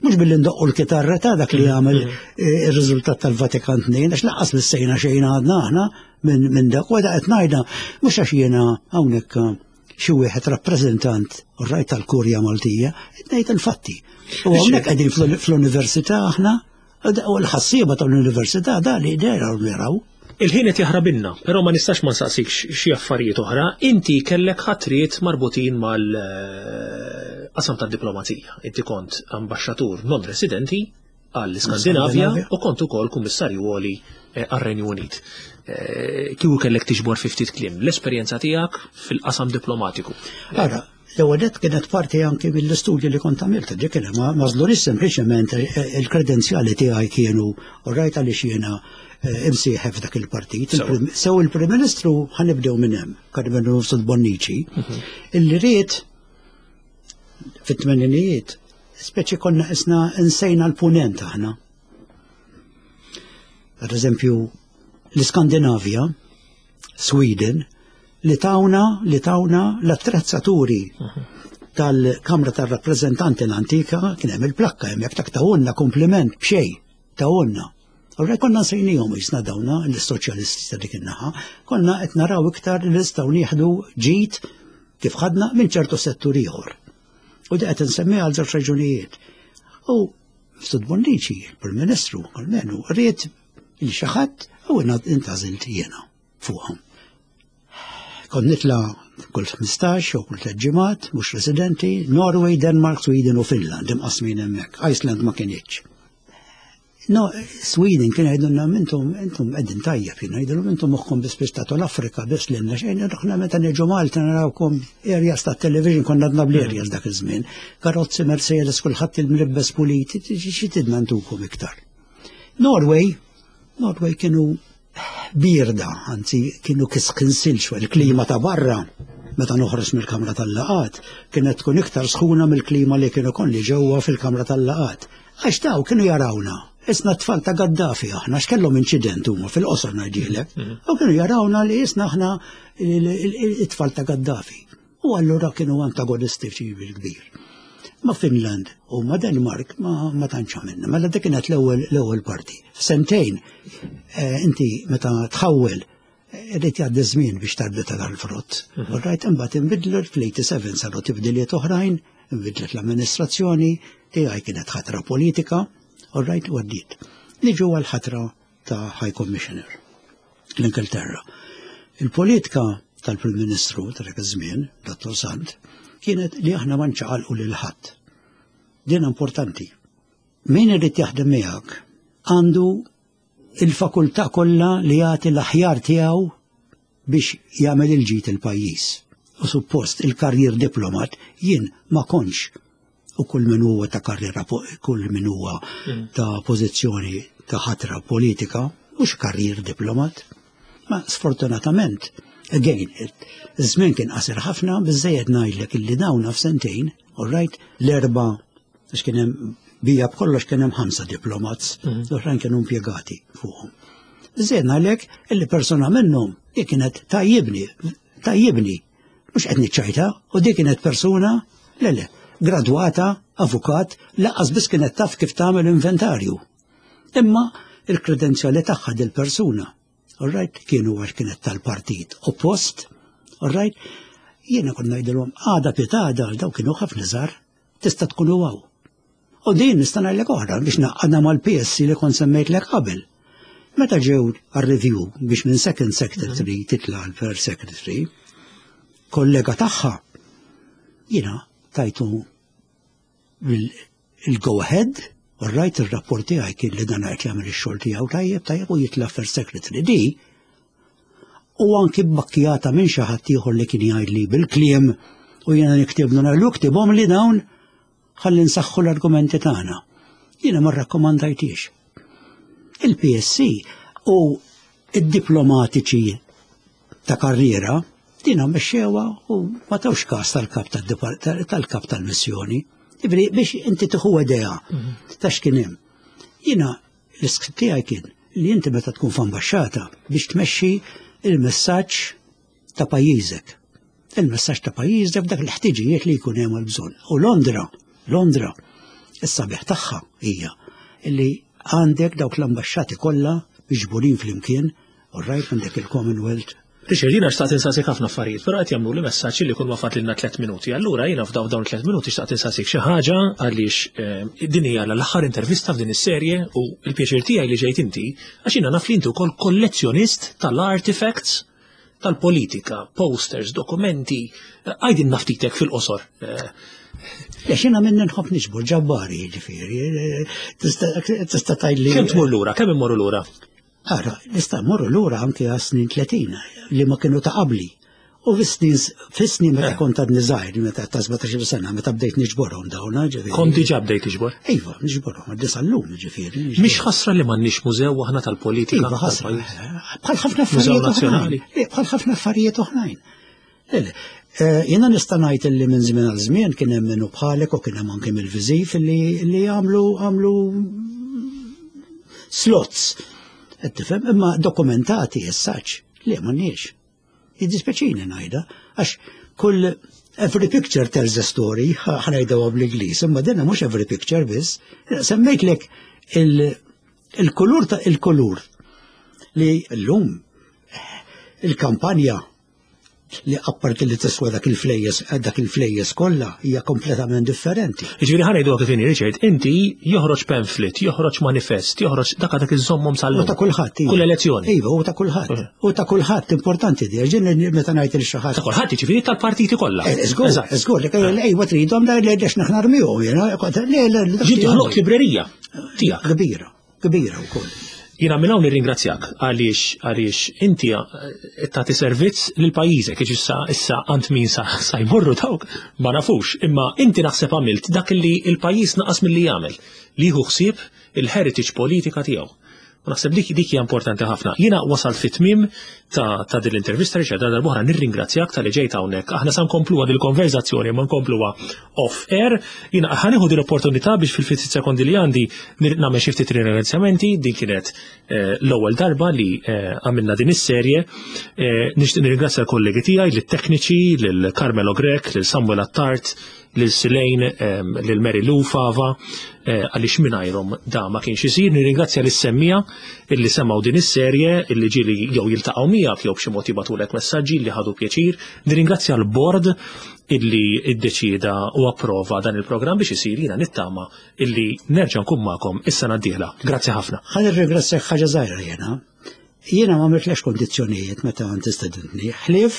mhux billi ndoqqu l-kitarra ta' dak li jagħmel mm. eh, ir-riżultat tal-Vatikan II, għax laqqas missejna xejn għadna aħna minn dak, u qed ngħidha mhux għax jiena hawnhekk eh, xi wieħed rappreżentant rajt tal-Kurja Maltija, qed ngħid il-fatti. U hawnhekk qegħdin fl-università aħna U l-ħassieba tal-università da li dera u jaraw. Il-ħin qed jaħrabilna, però ma nistax ma nsaqsikx xi affarijiet oħra. Inti kellek ħatriet marbutin mal-qasam tad-diplomazija. Inti kont ambaxxatur non residenti għall-Iskandinavja u kont ukoll kummissarju għoli eh, għar-Renju Unit. Eh, kieku kellek tiġbor fi ftit kliem l-esperjenza tiegħek fil-qasam diplomatiku. Ara, L-ewwel nett kienet parti anki mill-istudju li kont għamilt, dik kien ma żlunix sempliċement eh, eh, il-kredenzjali tiegħi kienu u rajt għaliex jiena eh, imsieħeb f'dak il-partit. Sew il-Prim Ministru ħanibdew minn hemm, Karmenu Mifsud Bonnici, mhm. illi ried fit-tmeninijiet, speċi konna isna insejna l-punent aħna. Per eżempju, l-Iskandinavja, Sweden, li tawna li tawna l-attrezzaturi tal-Kamra tar-Rappreżentanti l-antika kien hemm il-plakka hemmhekk tak tawunna kompliment b'xejn tawunna. Allura konna nsejnihom jisna dawna l-soċjalisti ta' dik in-naħa, konna qed naraw iktar li nistgħu nieħdu ġid kif ħadna minn ċertu settur ieħor. U di qed insemmiha għal żewġ raġunijiet. U Stud Bonnici, il-Prim Ministru, almenu, ried il xi ħadd u intażilt jiena fuqhom. Kont nitla' Kull 15 u kull 3 ġimgħat, mhux residenti, Norway, Denmark, Sweden u Finland imqasmin hemmhekk. Iceland ma kinitx. No, Sweden kien jgħidulna intom intom qegħdin tajjeb, jien ngħidilhom intom moħħkom biss biex tagħtu l-Afrika biss lilna xejn, aħna meta niġu Malta narawkom areas ta' television konna għadna bl-areas dak iż-żmien. Karozzi Mercedes kulħadd il-mlibbes puliti, xi tidna ntukom iktar. Norway, Norway kienu birda, anzi kienu kiskinsil il-klima ta' barra meta noħroġ mill-kamra tal-laqat kienet tkun iktar sħuna mill-klima li kienu kolli ġewwa fil-kamra tal-laqat. Għax daw kienu jarawna, isna t-tfal ta' Gaddafi aħna, x'kellhom inċident huma fil-qosor ngħidilek. U kienu jarawna li isna aħna it-tfal ta' Gaddafi. U allura kienu antagonistiċi bil-kbir. Ma' Finland u ma' Denmark ma, ma tantx għamilna. Mela dik kienet l-ewwel parti. F'sentejn eh, inti meta tħawwel eh, irid jgħaddi żmien biex tarbli ta' dal-frott. U rajt imbagħad inbidlu fl-87 saru tibdiliet oħrajn, inbidlet l-amministrazzjoni, tiegħi kienet ħatra politika, u rajt u għaddiet. Niġu għal-ħatra ta' High Commissioner l-Ingilterra. Il-politika tal-Prim Ministru ta' dak iż-żmien, Dr. Sant, kienet li aħna ma nċaqalqu lil ħadd. Din importanti. Min irid jaħdem miegħek għandu il-fakultà kollha li jagħti l-aħjar tiegħu biex jagħmel il-ġid il-pajjiż. U suppost il-karrier diplomat jien ma kontx u kull min huwa ta' karriera kull min huwa ta' pożizzjoni ta' ħatra politika mhux karrier diplomat. Ma sfortunatament, again, iż-żmien kien qasir ħafna biżejjed ngħidlek illi dawna f'sentejn, all right, l-erba' għax kien hemm bija b'kollox kien hemm ħamsa diplomats, l-oħrajn kienu impjegati fuqhom. Biżejjed ngħidlek illi persuna minnhom li kienet tajjibni, tajjibni, mhux qed niċċajta, u dik kienet persuna, le le, gradwata, avukat, lanqas biss kienet taf kif tagħmel inventarju. Imma il-kredenzjali tagħha dil-persuna, all right, kienu għax kienet tal-partit oppost, all right, jiena kont ngħidilhom għada pitada daw kienu ħafna żgħar, tista' tkunu hawn. U din nista' ngħidlek oħra biex naqqadha mal-PSC li kont semmejtlek qabel. Meta ġew għar-review biex minn second secretary titla' għal first secretary, kollega tagħha jiena tajtu il-go ahead, all right, il-rapport tiegħi kien li dan qed jagħmel ix-xogħol tiegħu tajjeb tajjeb u jitla' first secretary. Di u anki bbakkjata minn xi ħadd ieħor li kien jgħidli bil-kliem u jiena niktiblu ngħidlu ktibhom li dawn ħalli nsaħħu l-argumenti tagħna. Jiena ma rrakkomandajtix. Il-PSC u id-diplomatiċi ta' karriera dina mexxewha u ma tawx każ tal-kap tal-kap tal-missjoni. Ġifieri biex inti tieħu idea ta' x'kien hemm. Jiena l-iskript tiegħi kien li inti meta tkun f'ambaxxata biex tmexxi il-messaġġ ta' pajjiżek. Il-messaġġ ta' pajjiżek f'dak l-ħtiġijiet li jkun hemm għall-bżonn. U Londra, Londra, is-sabiħ tagħha hija li għandek dawk l-ambaxxati kollha miġburin flimkien, all right, għandek il-Commonwealth. Richard, jiena xtaqt insaqsik ħafna affarijiet, però qed jagħmlu li messaġġ li kull ma fadlilna 3 minuti. Allura jiena f'dawn dawn 3 minuti xtaqt insaqsik xi ħaġa għaliex eh, din hija l-aħħar intervista f'din is-serje u l-pjaċir tiegħi li ġejt inti għax jiena naf li inti wkoll kollezzjonist tal-artifacts tal-politika, posters, dokumenti, għajdin naftitek fil-qosor. Eh, Għax jiena minni nħobb niġbor ġabbari, ġifieri, tista' tgħidli. Kemm tmur lura, kemm immorru lura? Ara, nista' mmorru lura anke għas snin 30 li ma kienu ta' qabli. U fis-snin fis-snin meta eh. kont għadni żgħir, meta ta' 17 sena, meta bdejt niġborhom dawn, ġifieri. Kont diġà bdejt tiġbor? Iva, niġborhom, għaddi sal-lum, ġifieri. Mhix ħasra li m'għandniex mużew aħna tal-politika. Iva, ħasra. Bħal ħafna affarijiet oħrajn. Bħal ħafna affarijiet oħrajn. Eh, jiena nista' ngħid li minn żmien għal żmien kien hemm minnu bħalek u kien hemm anke mill-viżiv li għamlu għamlu slots. Qed tifhem imma dokumentati essaċ li m'għandniex. Jiddispjaċini ngħidha għax kull every picture tells a story, ħanajda bl-Ingliż, imma dinha mhux every picture biss. Semmejtlek il-kulur ta' il-kulur li llum il-kampanja. li apparti li tiswa dak il-flejjes dak il-flejjes kollha hija kompletament differenti. Jiġifieri ħa ngħidu kif inhi Richard, inti joħroġ pamphlet, joħroġ manifest, joħroġ dak dak iżommhom sal U ta' kulħadd. Iva. Kull elezzjoni. Iva, u ta' kulħadd. U ta' kulħadd importanti di, ġin meta ngħid il xi ħadd. Ta' kulħadd jiġifieri tal-partiti kollha. Eh, żgur, żgur, li ejwa tridhom da li għax naħna rmihom, jiena. Le, le, Ġiet toħloq librerija tiegħek. Kbira, kbira wkoll. Jiena minn hawn nirringrazzjak għaliex għaliex inti eh, tagħti servizz lil pajjiżek, jiġi issa issa għand min sa, sa jmorru dawk ma nafux, imma inti naħseb għamilt dak li l-pajjiż naqas milli jagħmel li jieħu ħsieb il-heritage politika tiegħu. U naħseb dik dik hija importanti ħafna. Jiena wasalt fit-tmiem ta', ta din l-intervista Richard għal darb'oħra nirringrazzjak tal-li ġejt hawnhekk. Aħna sa nkompluha dil-konverzazzjoni ma nkompluha off air. Jiena ħa nieħu din l-opportunità biex fil-ftit sekondi li għandi nagħmel xi ftit ringrazzjamenti. Din kienet eh, l-ewwel darba li eh, għamilna din is-serje. Eh, nixtieq nirringrazzja l-kollegi tiegħi, lit-tekniċi, lil Carmelo Grech, lil Samuel Attard, lil Silejn, lil Mary Lou Fava, eh, għaliex mingħajrhom da ma kienx isir. Nirringrazzja lis semmija illi semgħu din is-serje illi ġieli jew jiltaqgħu miegħek jew b'xi mod jibgħatulek messaġġi li ħadu pjaċir. Nirringrazzja l-bord illi iddeċieda u approva dan il-programm biex isir jiena nittama illi nerġa' nkun magħkom is-sena d-dieħla. Grazzi ħafna. Ħa nirringrazzjak ħaġa żgħira jiena. Jiena ma għamiltlex kondizzjonijiet meta inti stedintni, ħlief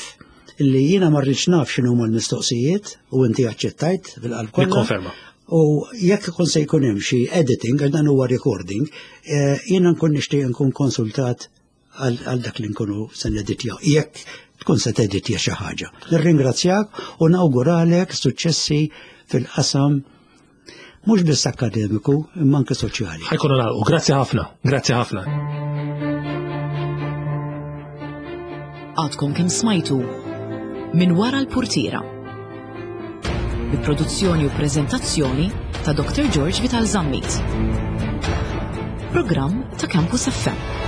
li jiena ma rridx naf x'inhuma l-mistoqsijiet u inti aċċettajt bil-qalb kollha. Nikkonferma. U jekk ikun se jkun hemm xi editing, għax dan huwa recording, eh, jiena nkun nixtieq nkun konsultat għal dak li nkunu se neditjaw. Jekk tkun se teditja xi ħaġa. Nirringrazzjak u nawguralek suċċessi fil-qasam Mhux biss akkademiku, imma anke soċjali. Ħajkunu nagħlqu. Grazzi ħafna, grazzi ħafna. Għadkom kemm smajtu minn wara l-purtiera. Bi produzzjoni u preżentazzjoni ta' Dr. George Vital Zammit. Programm ta' Campus FM.